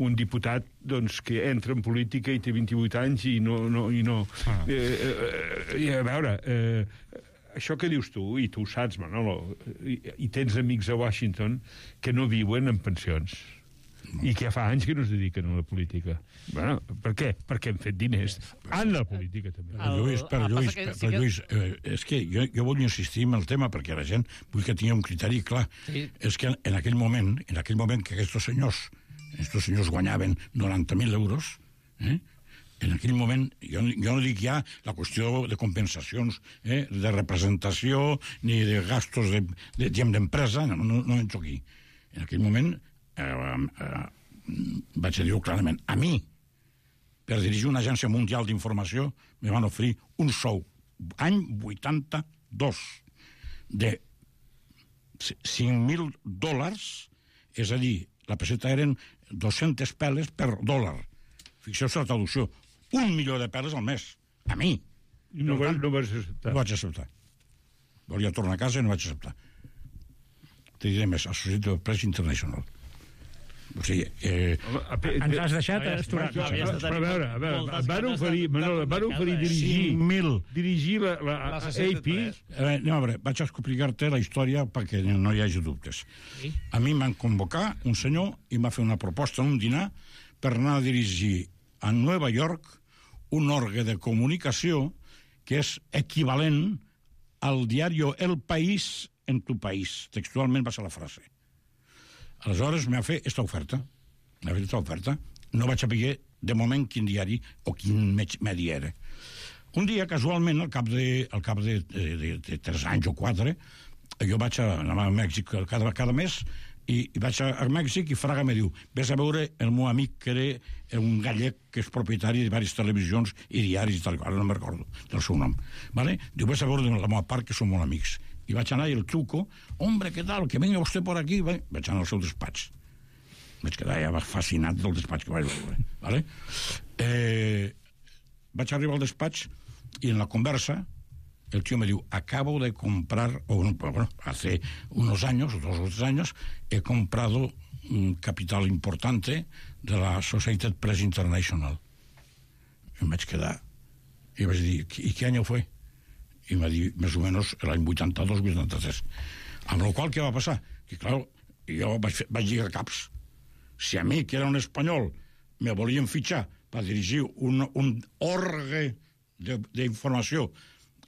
un diputat doncs, que entra en política i té vint-i-vuit anys i no... no, i no ah. eh, eh, i a veure, eh, això que dius tu, i tu ho saps, Manolo, i, i tens amics a Washington que no viuen en pensions. I que fa anys que no es dediquen a la política. Bueno, per què? Perquè hem fet diners en la política, també. Però, Lluís, però, Lluís, però, però, Lluís eh, és que jo, jo vull insistir en el tema perquè la gent vull que tingui un criteri clar. Sí. És que en aquell moment, en aquell moment que aquests senyors, aquests senyors guanyaven noranta mil euros, eh? En aquell moment, jo, jo no dic ja la qüestió de compensacions, eh? de representació, ni de gastos de, de gent d'empresa, no, no, no entro aquí. En aquell moment Eh, eh, vaig dir-ho clarament, a mi, per dirigir una agència mundial d'informació, me van oferir un sou, any vuitanta-dos, de cinc mil dòlars, és a dir, la peseta eren dos-centes peles per dòlar. Fixeu-vos la traducció, un milió de peles al mes, a mi. I no, tant, no vas acceptar. No vaig acceptar. Volia tornar a casa i no vaig acceptar. Te diré més, Associated Press International. O sigui, eh... ens has deixat esturat. Però a veure, a veure, et van oferir, Manolo, et van oferir dirigir, dirigir la, la, la A P. Eh, no, a veure, vaig explicar-te la història perquè no hi hagi dubtes. Sí? A mi m'han convocat un senyor i m'ha fet una proposta en un dinar per anar a dirigir a Nova York un òrgan de comunicació que és equivalent al diari El País en tu país. Textualment va ser la frase. Aleshores m'ha fet aquesta oferta. M'ha fet aquesta oferta. No vaig saber de moment quin diari o quin medi era. Un dia, casualment, al cap de, al cap de, de, de, de tres anys o quatre, jo vaig a, anar a Mèxic cada, cada mes i, i vaig a, a Mèxic i Fraga me diu, vés a veure el meu amic que era un gallec que és propietari de diverses televisions i diaris i tal, ara no me'n recordo del seu nom. Vale? Diu, vés a veure la meva part que som molt amics. I vaig anar i el truco, hombre, què tal, que venga vostè por aquí. Vaig anar al seu despatx. Vaig quedar ja fascinat del despatx que vaig veure. Vale? Eh, vaig arribar al despatx i en la conversa el tío me diu, acabo de comprar, o bueno, hace unos años, dos o tres años, he comprado un capital importante de la Associated Press International. I em vaig quedar i vaig dir, ¿y qué año fue? I em va dir, més o menys, l'any vuitanta-dos vuitanta-tres. Amb la qual, què va passar? Que, clar, jo vaig, fer, vaig lligar caps. Si a mi, que era un espanyol, me volien fitxar per dirigir un, un orgue d'informació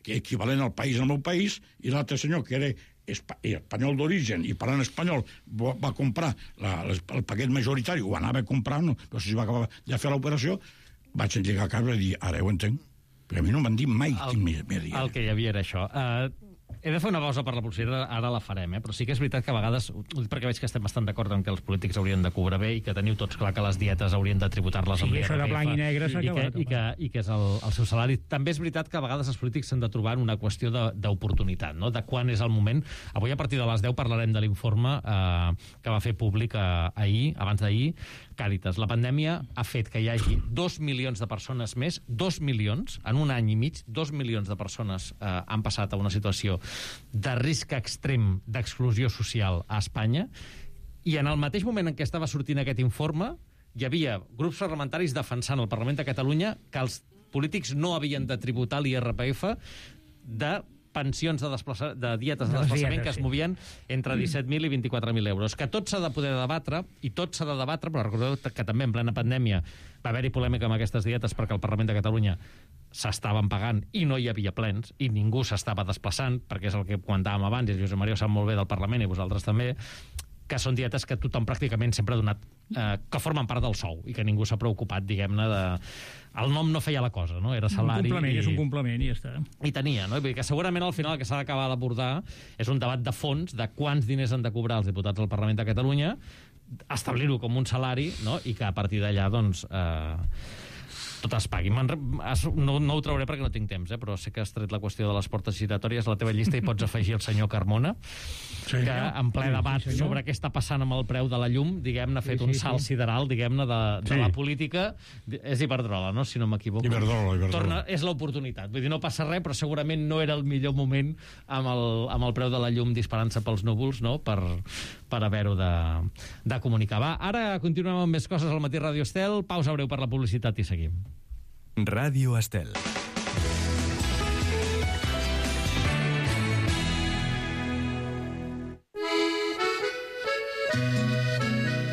que equivalent al país, al meu país, i l'altre senyor, que era espanyol d'origen i parlant espanyol, va comprar la, el paquet majoritari, ho anava a comprar, no, però si va acabar de fer l'operació, vaig lligar caps i dir, ara ho entenc. Però a mi no m'han dit mai el, quin m'hi havia. El que hi havia era això. Uh, He de fer una pausa per la publicitat, ara la farem, eh? Però sí que és veritat que a vegades, perquè veig que estem bastant d'acord en que els polítics haurien de cobrar bé i que teniu tots clar que les dietes haurien de tributar-les sí, amb l'I R P F. això de blanc i negre s'ha i, que, acabat, i, que, I que és el, el seu salari. També és veritat que a vegades els polítics s'han de trobar en una qüestió d'oportunitat, no? De quan és el moment. Avui a partir de les deu parlarem de l'informe eh, que va fer públic eh, ahir, abans d'ahir, Càritas. La pandèmia ha fet que hi hagi dos milions de persones més, dos milions, en un any i mig, dos milions de persones eh, han passat a una situació de risc extrem d'exclusió social a Espanya, i en el mateix moment en què estava sortint aquest informe hi havia grups parlamentaris defensant al Parlament de Catalunya que els polítics no havien de tributar l'I R P F de pensions de, desplaça... de dietes de desplaçament que es movien entre disset mil i vint-i-quatre mil euros. Que tot s'ha de poder debatre, i tot s'ha de debatre, però recordeu que també en plena pandèmia va haver-hi polèmica amb aquestes dietes perquè el Parlament de Catalunya s'estaven pagant i no hi havia plens, i ningú s'estava desplaçant, perquè és el que comentàvem abans, i el Josep Maria ho sap molt bé del Parlament, i vosaltres també, que són dietes que tothom pràcticament sempre ha donat, eh, que formen part del sou, i que ningú s'ha preocupat, diguem-ne, de... El nom no feia la cosa, no? Era salari... Un complement, i... és un complement i ja està. I tenia, no? Vull dir que segurament al final el que s'ha d'acabar d'abordar és un debat de fons de quants diners han de cobrar els diputats del Parlament de Catalunya, establir-ho com un salari, no? I que a partir d'allà, doncs... Eh... tot es pagui. No, no ho trauré perquè no tinc temps, eh? Però sé que has tret la qüestió de les portes giratòries a la teva llista i pots afegir el senyor Carmona, sí, que en ple debat sí, sobre què està passant amb el preu de la llum, diguem-ne, ha fet sí, sí, un salt sí. sideral, diguem-ne, de, de sí. la política. És Iberdrola, no?, si no m'equivoco. Iberdrola, Iberdrola. Torna, és l'oportunitat. Vull dir, no passa res, però segurament no era el millor moment amb el, amb el preu de la llum disparant-se pels núvols, no?, per, per haver-ho de, de comunicar. Va, ara continuem amb més coses al Matí Ràdio Estel. Pausa breu per la publicitat i seguim. Ràdio Estel.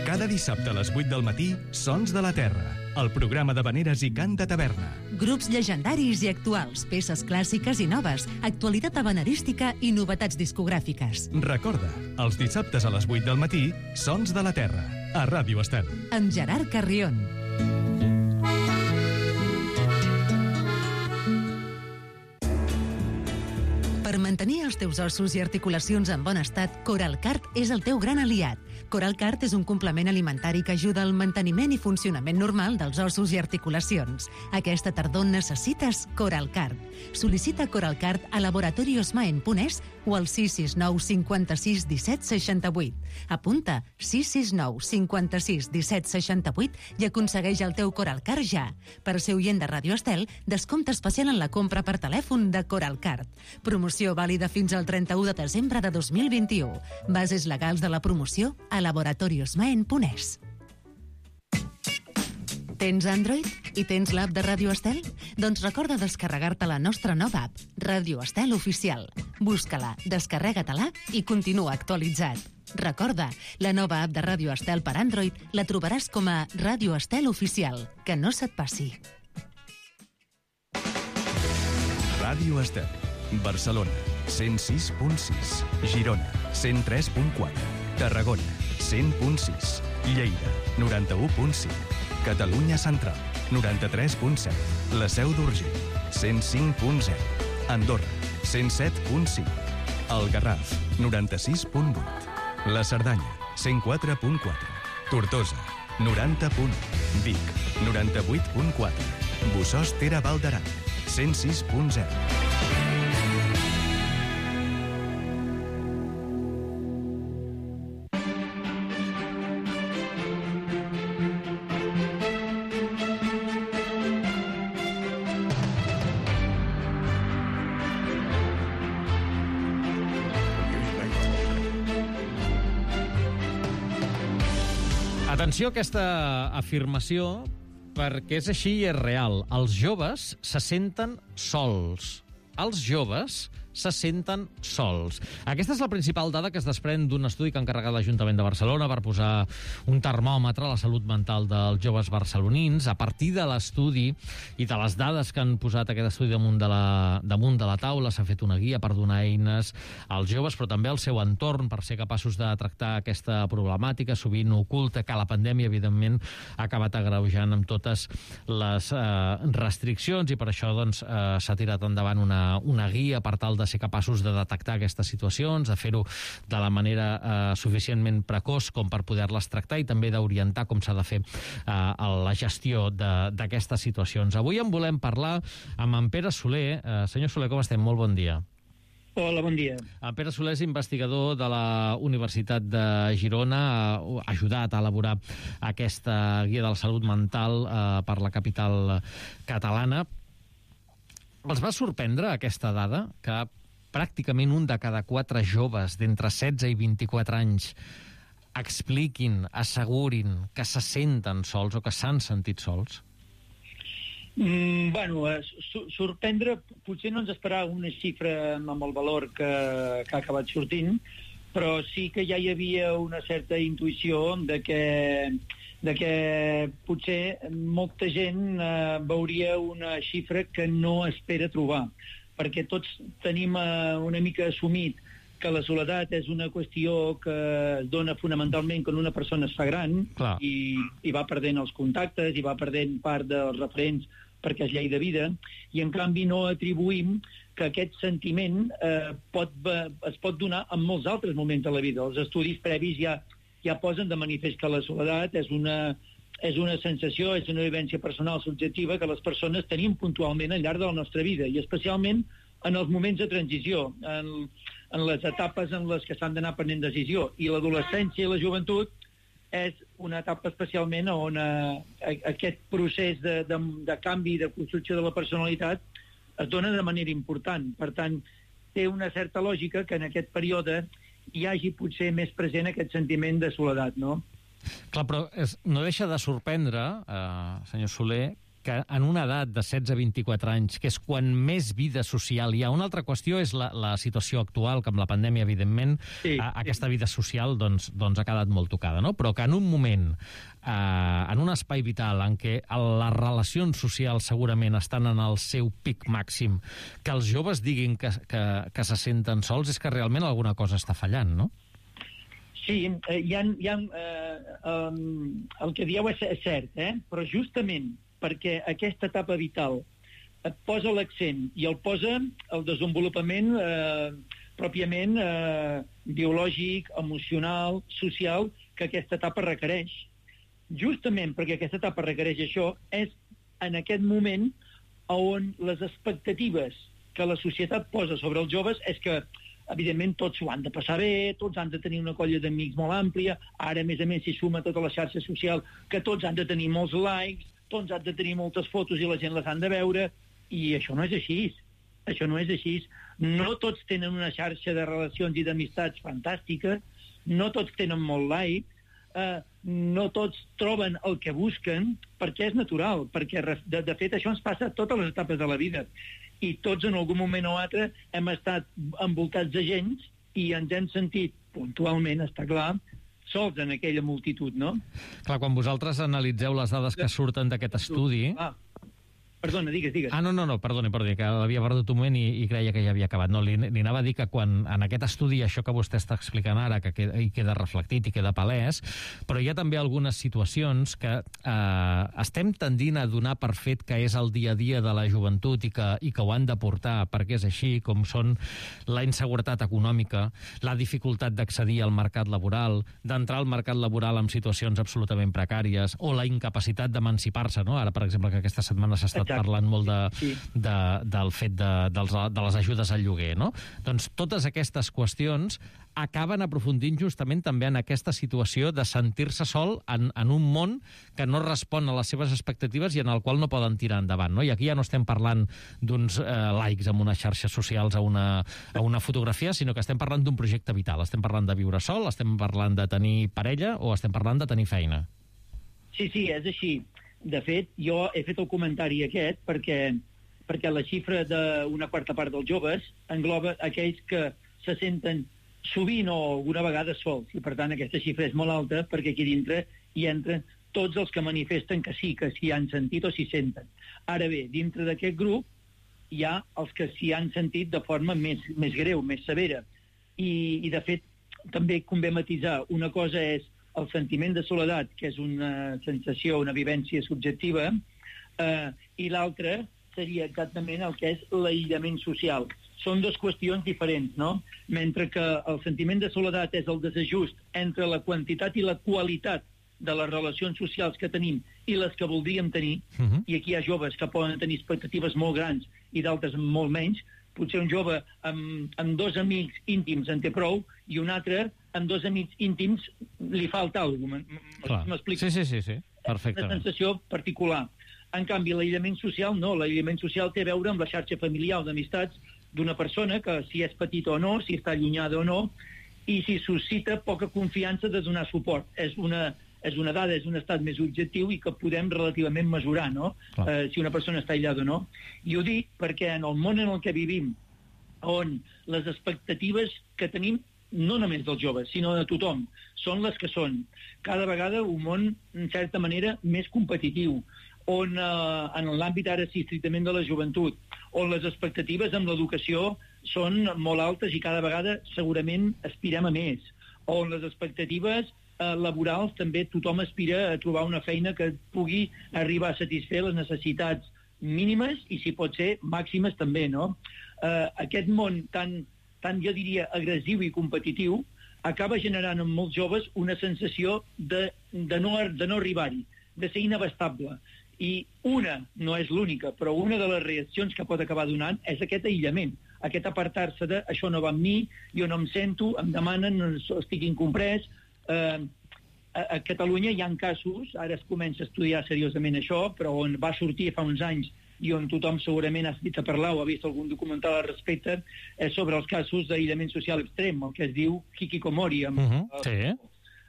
Cada dissabte a les vuit del matí, Sons de la Terra, el programa de veneres i cant de taverna. Grups llegendaris i actuals, peces clàssiques i noves, actualitat habanerística i novetats discogràfiques. Recorda, els dissabtes a les vuit del matí, Sons de la Terra, a Ràdio Estel. Amb Gerard Carrion. Per mantenir els teus ossos i articulacions en bon estat, Coralcart és el teu gran aliat. Coralcart és un complement alimentari que ajuda al manteniment i funcionament normal dels ossos i articulacions. Aquesta tardor necessites Coralcart. Sol·licita Coralcart a laboratoriosmaen.es o al sis sis nou cinquanta-sis disset seixanta-vuit. Apunta sis sis nou cinquanta-sis disset seixanta-vuit i aconsegueix el teu Coralcart ja. Per ser oient de Ràdio Estel, descompte especial en la compra per telèfon de Coralcart. Promoció vàlida fins al trenta-u de desembre de dos mil vint-i-u. Bases legals de la promoció a laboratoriosmaen.es. Tens Android i tens l'app de Ràdio Estel? Doncs recorda descarregar-te la nostra nova app, Ràdio Estel Oficial. Busca-la, descarrega-te-la i continua actualitzat. Recorda, la nova app de Ràdio Estel per Android la trobaràs com a Ràdio Estel Oficial. Que no se't passi. Ràdio Estel. Barcelona, cent sis punt sis. Girona, cent tres punt quatre. Tarragona, cent punt sis. Lleida, noranta-u punt cinc. Catalunya Central, noranta-tres punt set. La Seu d'Urgell, cent cinc punt zero. Andorra, cent set punt cinc. El Garraf, noranta-sis punt vuit. La Cerdanya, cent quatre punt quatre. Tortosa, noranta punt u. Vic, noranta-vuit punt quatre. Bossòst Tere Val d'Aran, cent sis punt zero. Atenció a aquesta afirmació, perquè és així i és real. Els joves se senten sols. Els joves se senten sols. Aquesta és la principal dada que es desprèn d'un estudi que ha encarregat l'Ajuntament de Barcelona per posar un termòmetre a la salut mental dels joves barcelonins. A partir de l'estudi i de les dades que han posat aquest estudi damunt de la, damunt de la taula, s'ha fet una guia per donar eines als joves, però també al seu entorn, per ser capaços de tractar aquesta problemàtica, sovint oculta, que la pandèmia, evidentment, ha acabat agreujant amb totes les eh, restriccions, i per això doncs, eh, s'ha tirat endavant una, una guia per tal de de ser capaços de detectar aquestes situacions, de fer-ho de la manera eh, suficientment precoç com per poder-les tractar i també d'orientar com s'ha de fer eh, la gestió d'aquestes situacions. Avui en volem parlar amb en Pere Soler. Eh, senyor Soler, com estem? Molt bon dia. Hola, bon dia. En Pere Soler és investigador de la Universitat de Girona, ha ajudat a elaborar aquesta guia de la salut mental eh, per la capital catalana. Els va sorprendre aquesta dada, que pràcticament un de cada quatre joves d'entre setze i vint-i-quatre anys expliquin, assegurin que se senten sols o que s'han sentit sols? Mm, bueno, eh, sorprendre, potser no ens esperava una xifra amb el valor que, que ha acabat sortint, però sí que ja hi havia una certa intuïció de que, de que potser molta gent eh, veuria una xifra que no espera trobar, perquè tots tenim eh, una mica assumit que la soledat és una qüestió que es dona fonamentalment quan una persona es fa gran i, i va perdent els contactes i va perdent part dels referents perquè és llei de vida, i en canvi no atribuïm que aquest sentiment eh, pot, es pot donar en molts altres moments de la vida. Els estudis previs ja, ja posen de manifest que la soledat és una, és una sensació, és una vivència personal subjectiva que les persones tenim puntualment al llarg de la nostra vida, i especialment en els moments de transició, en, en les etapes en les que s'han d'anar prenent decisió. I l'adolescència i la joventut és una etapa especialment on eh, aquest procés de, de, de canvi i de construcció de la personalitat es dona de manera important. Per tant, té una certa lògica que en aquest període hi hagi potser més present aquest sentiment de soledat, no? Clar, però és, no deixa de sorprendre, eh, senyor Soler, que en una edat de setze a vint-i-quatre anys, que és quan més vida social hi ha. Una altra qüestió és la, la situació actual, que amb la pandèmia, evidentment, sí, a, aquesta vida social doncs, doncs ha quedat molt tocada, no? Però que en un moment, eh, en un espai vital en què les relacions socials segurament estan en el seu pic màxim, que els joves diguin que, que, que se senten sols, és que realment alguna cosa està fallant, no? Sí, eh, hi ha, hi ha, eh, um, el que dieu és, és cert, eh? Però justament perquè aquesta etapa vital et posa l'accent i el posa el desenvolupament eh, pròpiament eh, biològic, emocional, social, que aquesta etapa requereix. Justament perquè aquesta etapa requereix això, és en aquest moment on les expectatives que la societat posa sobre els joves és que, evidentment, tots ho han de passar bé, tots han de tenir una colla d'amics molt àmplia, ara, a més a més, s'hi suma tota la xarxa social, que tots han de tenir molts likes, tots han de tenir moltes fotos i la gent les han de veure, i això no és així. Això no és així. No tots tenen una xarxa de relacions i d'amistats fantàstica, no tots tenen molt like, eh, no tots troben el que busquen, perquè és natural, perquè de, de fet això ens passa a totes les etapes de la vida. I tots en algun moment o altre hem estat envoltats de gent i ens hem sentit puntualment, està clar, sols en aquella multitud, no? Clar, quan vosaltres analitzeu les dades que surten d'aquest estudi... Ah, perdona, digues, digues. Ah, no, no, no, perdoni, perdoni, que l'havia perdut un moment i, i creia que ja havia acabat. No, li, li anava a dir que quan en aquest estudi, això que vostè està explicant ara, que queda, hi queda reflectit i queda palès, però hi ha també algunes situacions que eh, estem tendint a donar per fet que és el dia a dia de la joventut i que, i que ho han de portar perquè és així, com són la inseguretat econòmica, la dificultat d'accedir al mercat laboral, d'entrar al mercat laboral en situacions absolutament precàries, o la incapacitat d'emancipar-se, no? Ara, per exemple, que aquesta setmana s'ha estat parlant molt de, sí. de, del fet de, dels, de les ajudes al lloguer, no? Doncs totes aquestes qüestions acaben aprofundint justament també en aquesta situació de sentir-se sol en, en un món que no respon a les seves expectatives i en el qual no poden tirar endavant, no? I aquí ja no estem parlant d'uns eh, likes en unes xarxes socials a una, a una fotografia, sinó que estem parlant d'un projecte vital. Estem parlant de viure sol, estem parlant de tenir parella o estem parlant de tenir feina. Sí, sí, és així. De fet, jo he fet el comentari aquest perquè, perquè la xifra d'una quarta part dels joves engloba aquells que se senten sovint o alguna vegada sols, i per tant aquesta xifra és molt alta perquè aquí dintre hi entren tots els que manifesten que sí, que s'hi han sentit o s'hi senten. Ara bé, dintre d'aquest grup hi ha els que s'hi han sentit de forma més, més greu, més severa, i, i de fet també convé matisar. Una cosa és el sentiment de soledat, que és una sensació, una vivència subjectiva, eh, i l'altra seria exactament el que és l'aïllament social. són dues qüestions diferents, no? Mentre que el sentiment de soledat és el desajust entre la quantitat i la qualitat de les relacions socials que tenim i les que voldríem tenir, uh-huh. i aquí hi ha joves que poden tenir expectatives molt grans i d'altres molt menys. Potser un jove amb, amb dos amics íntims en té prou i un altre amb dos amics íntims li falta alguna cosa. M'explico? Sí, sí, sí, sí. Perfectament. Una sensació particular. En canvi, l'aïllament social no. L'aïllament social té a veure amb la xarxa familiar o d'amistats d'una persona que si és petita o no, si està allunyada o no, i si suscita poca confiança de donar suport. És una, és una dada, és un estat més objectiu i que podem relativament mesurar, no? Eh, si una persona està aïllada o no. I ho dic perquè en el món en el que vivim, on les expectatives que tenim no només dels joves, sinó de tothom, són les que són. Cada vegada un món, en certa manera, més competitiu, on eh, en l'àmbit ara sí, estrictament de la joventut, on les expectatives amb l'educació són molt altes i cada vegada segurament aspirem a més, on les expectatives eh, laborals també tothom aspira a trobar una feina que pugui arribar a satisfer les necessitats mínimes i, si pot ser, màximes també, no? Eh, aquest món tan tan, jo diria, agressiu i competitiu, acaba generant en molts joves una sensació de, de, no, de no arribar-hi, de ser inabastable. I una, no és l'única, però una de les reaccions que pot acabar donant és aquest aïllament, aquest apartar-se de això no va amb mi, jo no em sento, em demanen, estic incomprès. Eh, a, a Catalunya hi ha casos, ara es comença a estudiar seriosament això, però on va sortir fa uns anys i on tothom segurament ha sentit a parlar o ha vist algun documental al respecte, és sobre els casos d'aïllament social extrem, el que es diu hikikomori, amb uh -huh. sí.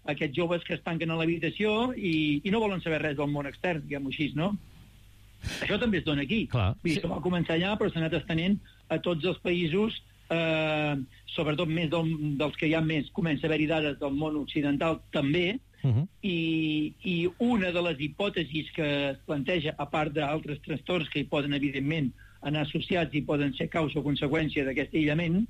aquests joves que es tanquen a l'habitació i, i no volen saber res del món extern, diguem-ho així, no? Això també es dona aquí. Clar, sí. Això va començar allà, però s'ha anat estenent a tots els països, eh, sobretot més del, dels que hi ha més, comença a haver-hi dades del món occidental també. Uh-huh. I, i una de les hipòtesis que es planteja, a part d'altres trastorns que hi poden evidentment anar associats i poden ser causa o conseqüència d'aquest aïllament,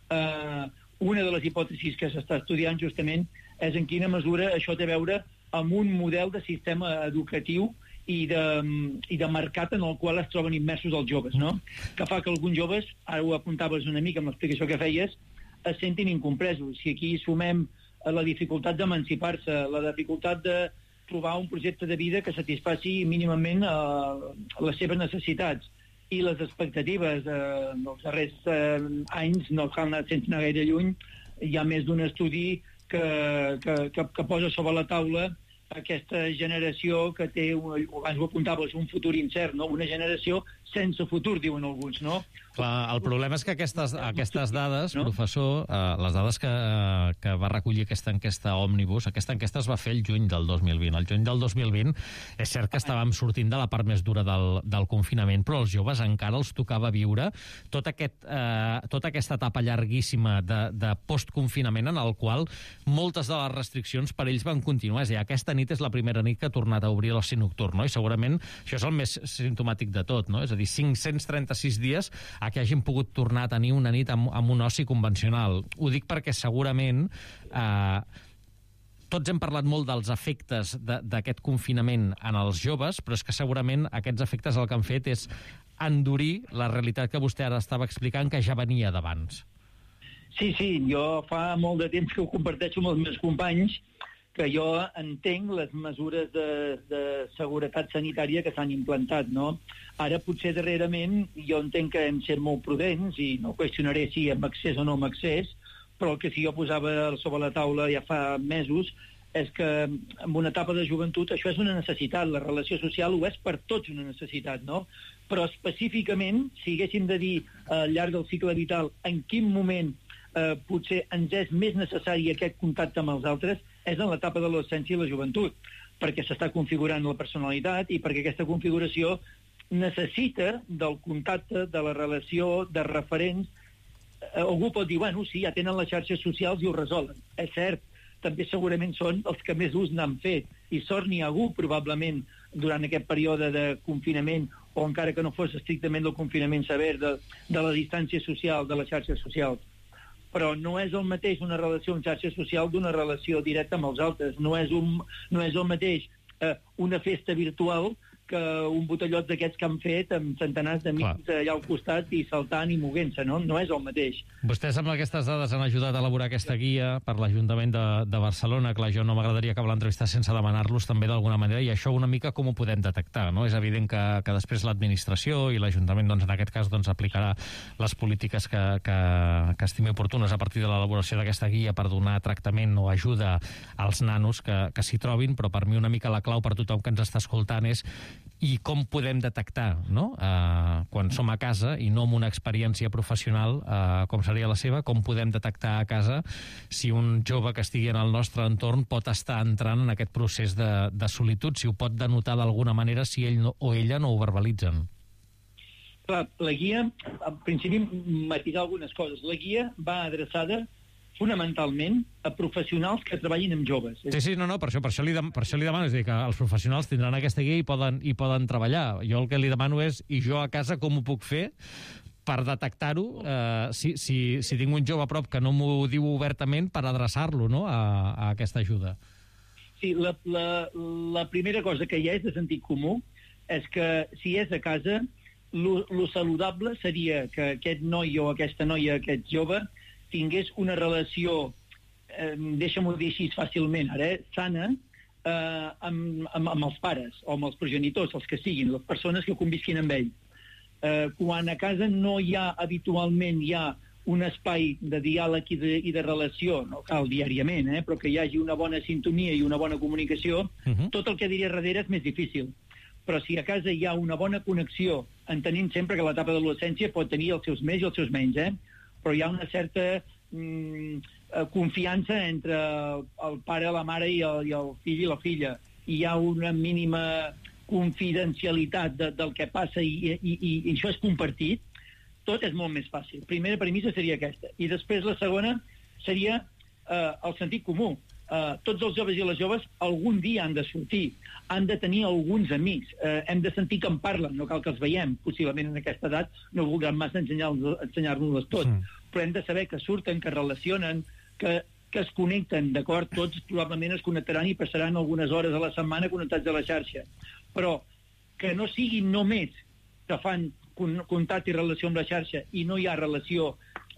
eh, una de les hipòtesis que s'està estudiant justament és en quina mesura això té a veure amb un model de sistema educatiu i de, i de mercat en el qual es troben immersos els joves, no? Que fa que alguns joves, ara ho apuntaves una mica amb l'explicació que feies, es sentin incompresos. Si aquí sumem la dificultat d'emancipar-se, la dificultat de trobar un projecte de vida que satisfaci mínimament eh, les seves necessitats i les expectatives eh, dels darrers eh, anys, no cal anar sense anar gaire lluny, hi ha més d'un estudi que, que, que, que posa sobre la taula aquesta generació que té, abans ho apuntaves, un futur incert, no? Una generació sense futur, diuen alguns, no? Clar, el problema és que aquestes, aquestes dades, no? Professor, eh, les dades que, que va recollir aquesta enquesta Òmnibus, aquesta enquesta es va fer el juny del dos mil vint. El juny del dos mil vint és cert que estàvem sortint de la part més dura del, del confinament, però als joves encara els tocava viure tot aquest, eh, tota aquesta etapa llarguíssima de, de postconfinament en el qual moltes de les restriccions per ells van continuar. És a dir, aquesta nit és la primera nit que ha tornat a obrir l'oci nocturn, no? I segurament això és el més simptomàtic de tot, no? És a dir, cinc-cents trenta-sis dies a que hagin pogut tornar a tenir una nit amb, amb un oci convencional. Ho dic perquè segurament eh, tots hem parlat molt dels efectes d'aquest confinament en els joves, però és que segurament aquests efectes el que han fet és endurir la realitat que vostè ara estava explicant, que ja venia d'abans. Sí, sí, jo fa molt de temps que ho comparteixo amb els meus companys, que jo entenc les mesures de, de seguretat sanitària que s'han implantat, no? Ara, potser darrerament, jo entenc que hem set molt prudents, i no qüestionaré si amb accés o no amb accés, però el que sí jo posava sobre la taula ja fa mesos és que en una etapa de joventut això és una necessitat, la relació social ho és per tots una necessitat, no? Però específicament, si haguéssim de dir al llarg del cicle vital en quin moment eh, potser ens és més necessari aquest contacte amb els altres, és en l'etapa de l'adolescència i la joventut, perquè s'està configurant la personalitat i perquè aquesta configuració necessita del contacte, de la relació, de referents. Algú pot dir, bueno, sí, ja tenen les xarxes socials i ho resolen. És cert, també segurament són els que més ús n'han fet, i sort n'hi ha hagut probablement durant aquest període de confinament, o encara que no fos estrictament del confinament sever, de, de la distància social, de les xarxes socials. Però no és el mateix una relació amb xarxa social d'una relació directa amb els altres. No és, un, no és el mateix eh, una festa virtual que un botellot d'aquests que han fet amb centenars d'amics allà al costat i saltant i moguent-se, no? No és el mateix. Vostès amb aquestes dades han ajudat a elaborar aquesta guia per l'Ajuntament de, de Barcelona. Clar, jo no m'agradaria acabar l'entrevista sense demanar-los també d'alguna manera, i això una mica com ho podem detectar, no? És evident que, que després l'administració i l'Ajuntament, doncs, en aquest cas, doncs, aplicarà les polítiques que, que, que estimi oportunes a partir de l'elaboració d'aquesta guia per donar tractament o ajuda als nanos que, que s'hi trobin, però per mi una mica la clau per tothom que ens està escoltant és i com podem detectar, no? Uh, quan som a casa i no amb una experiència professional uh, com seria la seva, com podem detectar a casa si un jove que estigui en el nostre entorn pot estar entrant en aquest procés de, de solitud, si ho pot denotar d'alguna manera, si ell no, o ella no ho verbalitzen. Clar, la guia, en principi, matisar algunes coses. La guia va adreçada fonamentalment a professionals que treballin amb joves. Sí, sí, no, no, per això, per això, li, dem per això li demano, és a dir, que els professionals tindran aquesta guia i poden, i poden treballar. Jo el que li demano és, i jo a casa com ho puc fer per detectar-ho, eh, si, si, si tinc un jove a prop que no m'ho diu obertament, per adreçar-lo, no?, a, a aquesta ajuda. Sí, la, la, la primera cosa que hi ha és de sentit comú, és que si és a casa, lo, lo saludable seria que aquest noi o aquesta noia, aquest jove, tingués una relació, eh, deixa'm-ho dir així fàcilment, ara, eh, sana, eh, amb, amb, amb els pares, o amb els progenitors, els que siguin, les persones que convisquin amb ell. Eh, quan a casa no hi ha, habitualment, hi ha un espai de diàleg i de, i de relació, no cal diàriament, eh, però que hi hagi una bona sintonia i una bona comunicació, uh-huh. Tot el que diria darrere és més difícil. Però si a casa hi ha una bona connexió, entenent sempre que l'etapa de l'adolescència pot tenir els seus més i els seus menys, eh? Però hi ha una certa mm, confiança entre el pare, la mare i el, i el fill i la filla. Hi ha una mínima confidencialitat de, del que passa i, i, i, i això és compartit. Tot és molt més fàcil. Primera premissa seria aquesta. I després la segona seria eh, el sentit comú. Uh, tots els joves i les joves algun dia han de sortir, han de tenir alguns amics, uh, hem de sentir que en parlen, no cal que els veiem, possiblement en aquesta edat no voldran massa ensenyar-nos ensenyar-nos tot, mm. però hem de saber que surten, que relacionen, que, que es connecten, d'acord? Tots probablement es connectaran i passaran algunes hores a la setmana connectats a la xarxa, però que no siguin només que fan contacte i relació amb la xarxa i no hi ha relació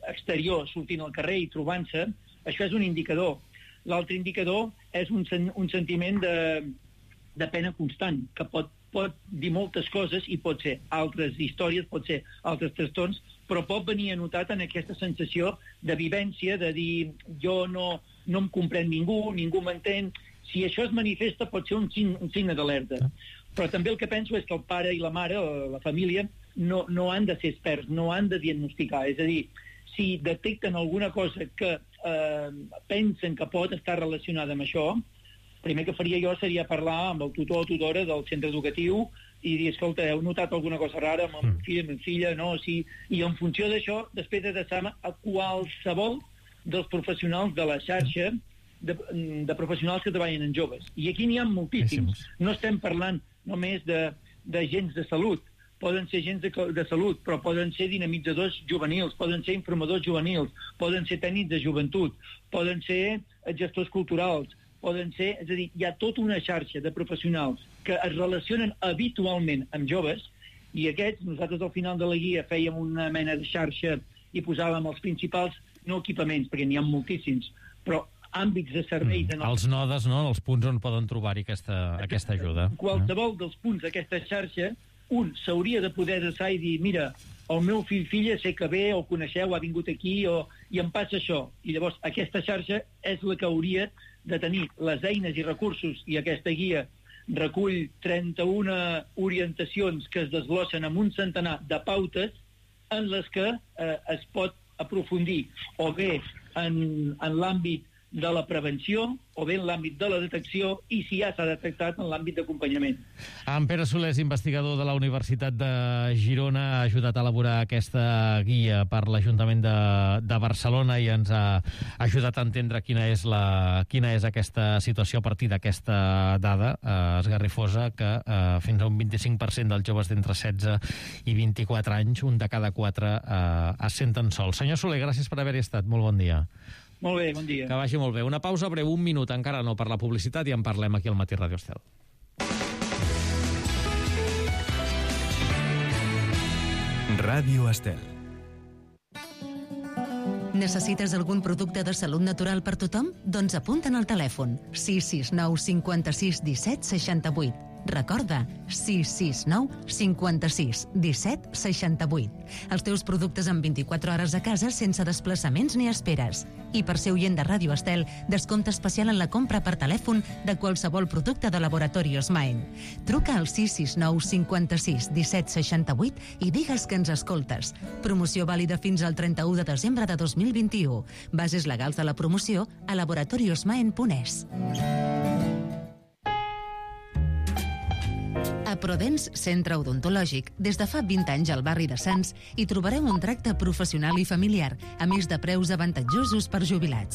exterior sortint al carrer i trobant-se, això és un indicador. L'altre indicador és un, sen un sentiment de, de pena constant, que pot, pot dir moltes coses i pot ser altres històries, pot ser altres trastorns, però pot venir anotat en aquesta sensació de vivència, de dir jo no, no em comprèn ningú, ningú m'entén. Si això es manifesta pot ser un, sign, un signe d'alerta. Però també el que penso és que el pare i la mare, o la família, no, no han de ser experts, no han de diagnosticar. És a dir, si detecten alguna cosa que eh, pensen que pot estar relacionada amb això, el primer que faria jo seria parlar amb el tutor o tutora del centre educatiu i dir, escolta, heu notat alguna cosa rara amb el meu fill, amb la filla, no? O sigui, i en funció d'això, després adreçar-me a qualsevol dels professionals de la xarxa, de, de professionals que treballen en joves. I aquí n'hi ha moltíssims. No estem parlant només d'agents de, de salut, poden ser agents de, de salut, però poden ser dinamitzadors juvenils, poden ser informadors juvenils, poden ser tècnics de joventut, poden ser gestors culturals, poden ser... És a dir, hi ha tota una xarxa de professionals que es relacionen habitualment amb joves, i aquests, nosaltres al final de la guia fèiem una mena de xarxa i posàvem els principals, no equipaments, perquè n'hi ha moltíssims, però àmbits de serveis... Mm, els nodes, no?, els punts on poden trobar-hi aquesta, aquesta ajuda. Qualsevol dels punts d'aquesta xarxa, un s'hauria de poder adreçar i dir, mira, el meu fill, filla, sé que ve, o coneixeu, ha vingut aquí, o, i em passa això. I llavors aquesta xarxa és la que hauria de tenir les eines i recursos, i aquesta guia recull trenta-una orientacions que es desglossen amb un centenar de pautes en les que eh, es pot aprofundir o bé en, en l'àmbit de la prevenció o bé en l'àmbit de la detecció i si ja s'ha detectat en l'àmbit d'acompanyament. En Pere Soler és investigador de la Universitat de Girona, ha ajudat a elaborar aquesta guia per l'Ajuntament de, de Barcelona i ens ha ajudat a entendre quina és, la, quina és aquesta situació a partir d'aquesta dada eh, esgarrifosa que eh, fins a un vint-i-cinc per cent dels joves d'entre setze i vint-i-quatre anys, un de cada quatre, eh, es senten sols. Senyor Soler, gràcies per haver-hi estat. Molt bon dia. Molt bé, bon dia. Que vagi molt bé. Una pausa breu, un minut, encara no, per la publicitat, i en parlem aquí al Matí Ràdio Estel. Ràdio Estel. Necessites algun producte de salut natural per tothom? Doncs apunta'n al telèfon sis sis nou cinquanta-sis disset seixanta-vuit. Recorda, sis sis nou cinquanta-sis disset seixanta-vuit. Els teus productes en vint-i-quatre hores a casa sense desplaçaments ni esperes. I per ser oient de Ràdio Estel, descompte especial en la compra per telèfon de qualsevol producte de Laboratorios Maen. Truca al sis sis nou cinquanta-sis disset seixanta-vuit i digues que ens escoltes. Promoció vàlida fins al trenta-u de desembre de dos mil vint-i-u. Bases legals de la promoció a laboratoriosmaen punt es. A Prodens, centre odontològic, des de fa vint anys al barri de Sants, hi trobareu un tracte professional i familiar, a més de preus avantatjosos per jubilats.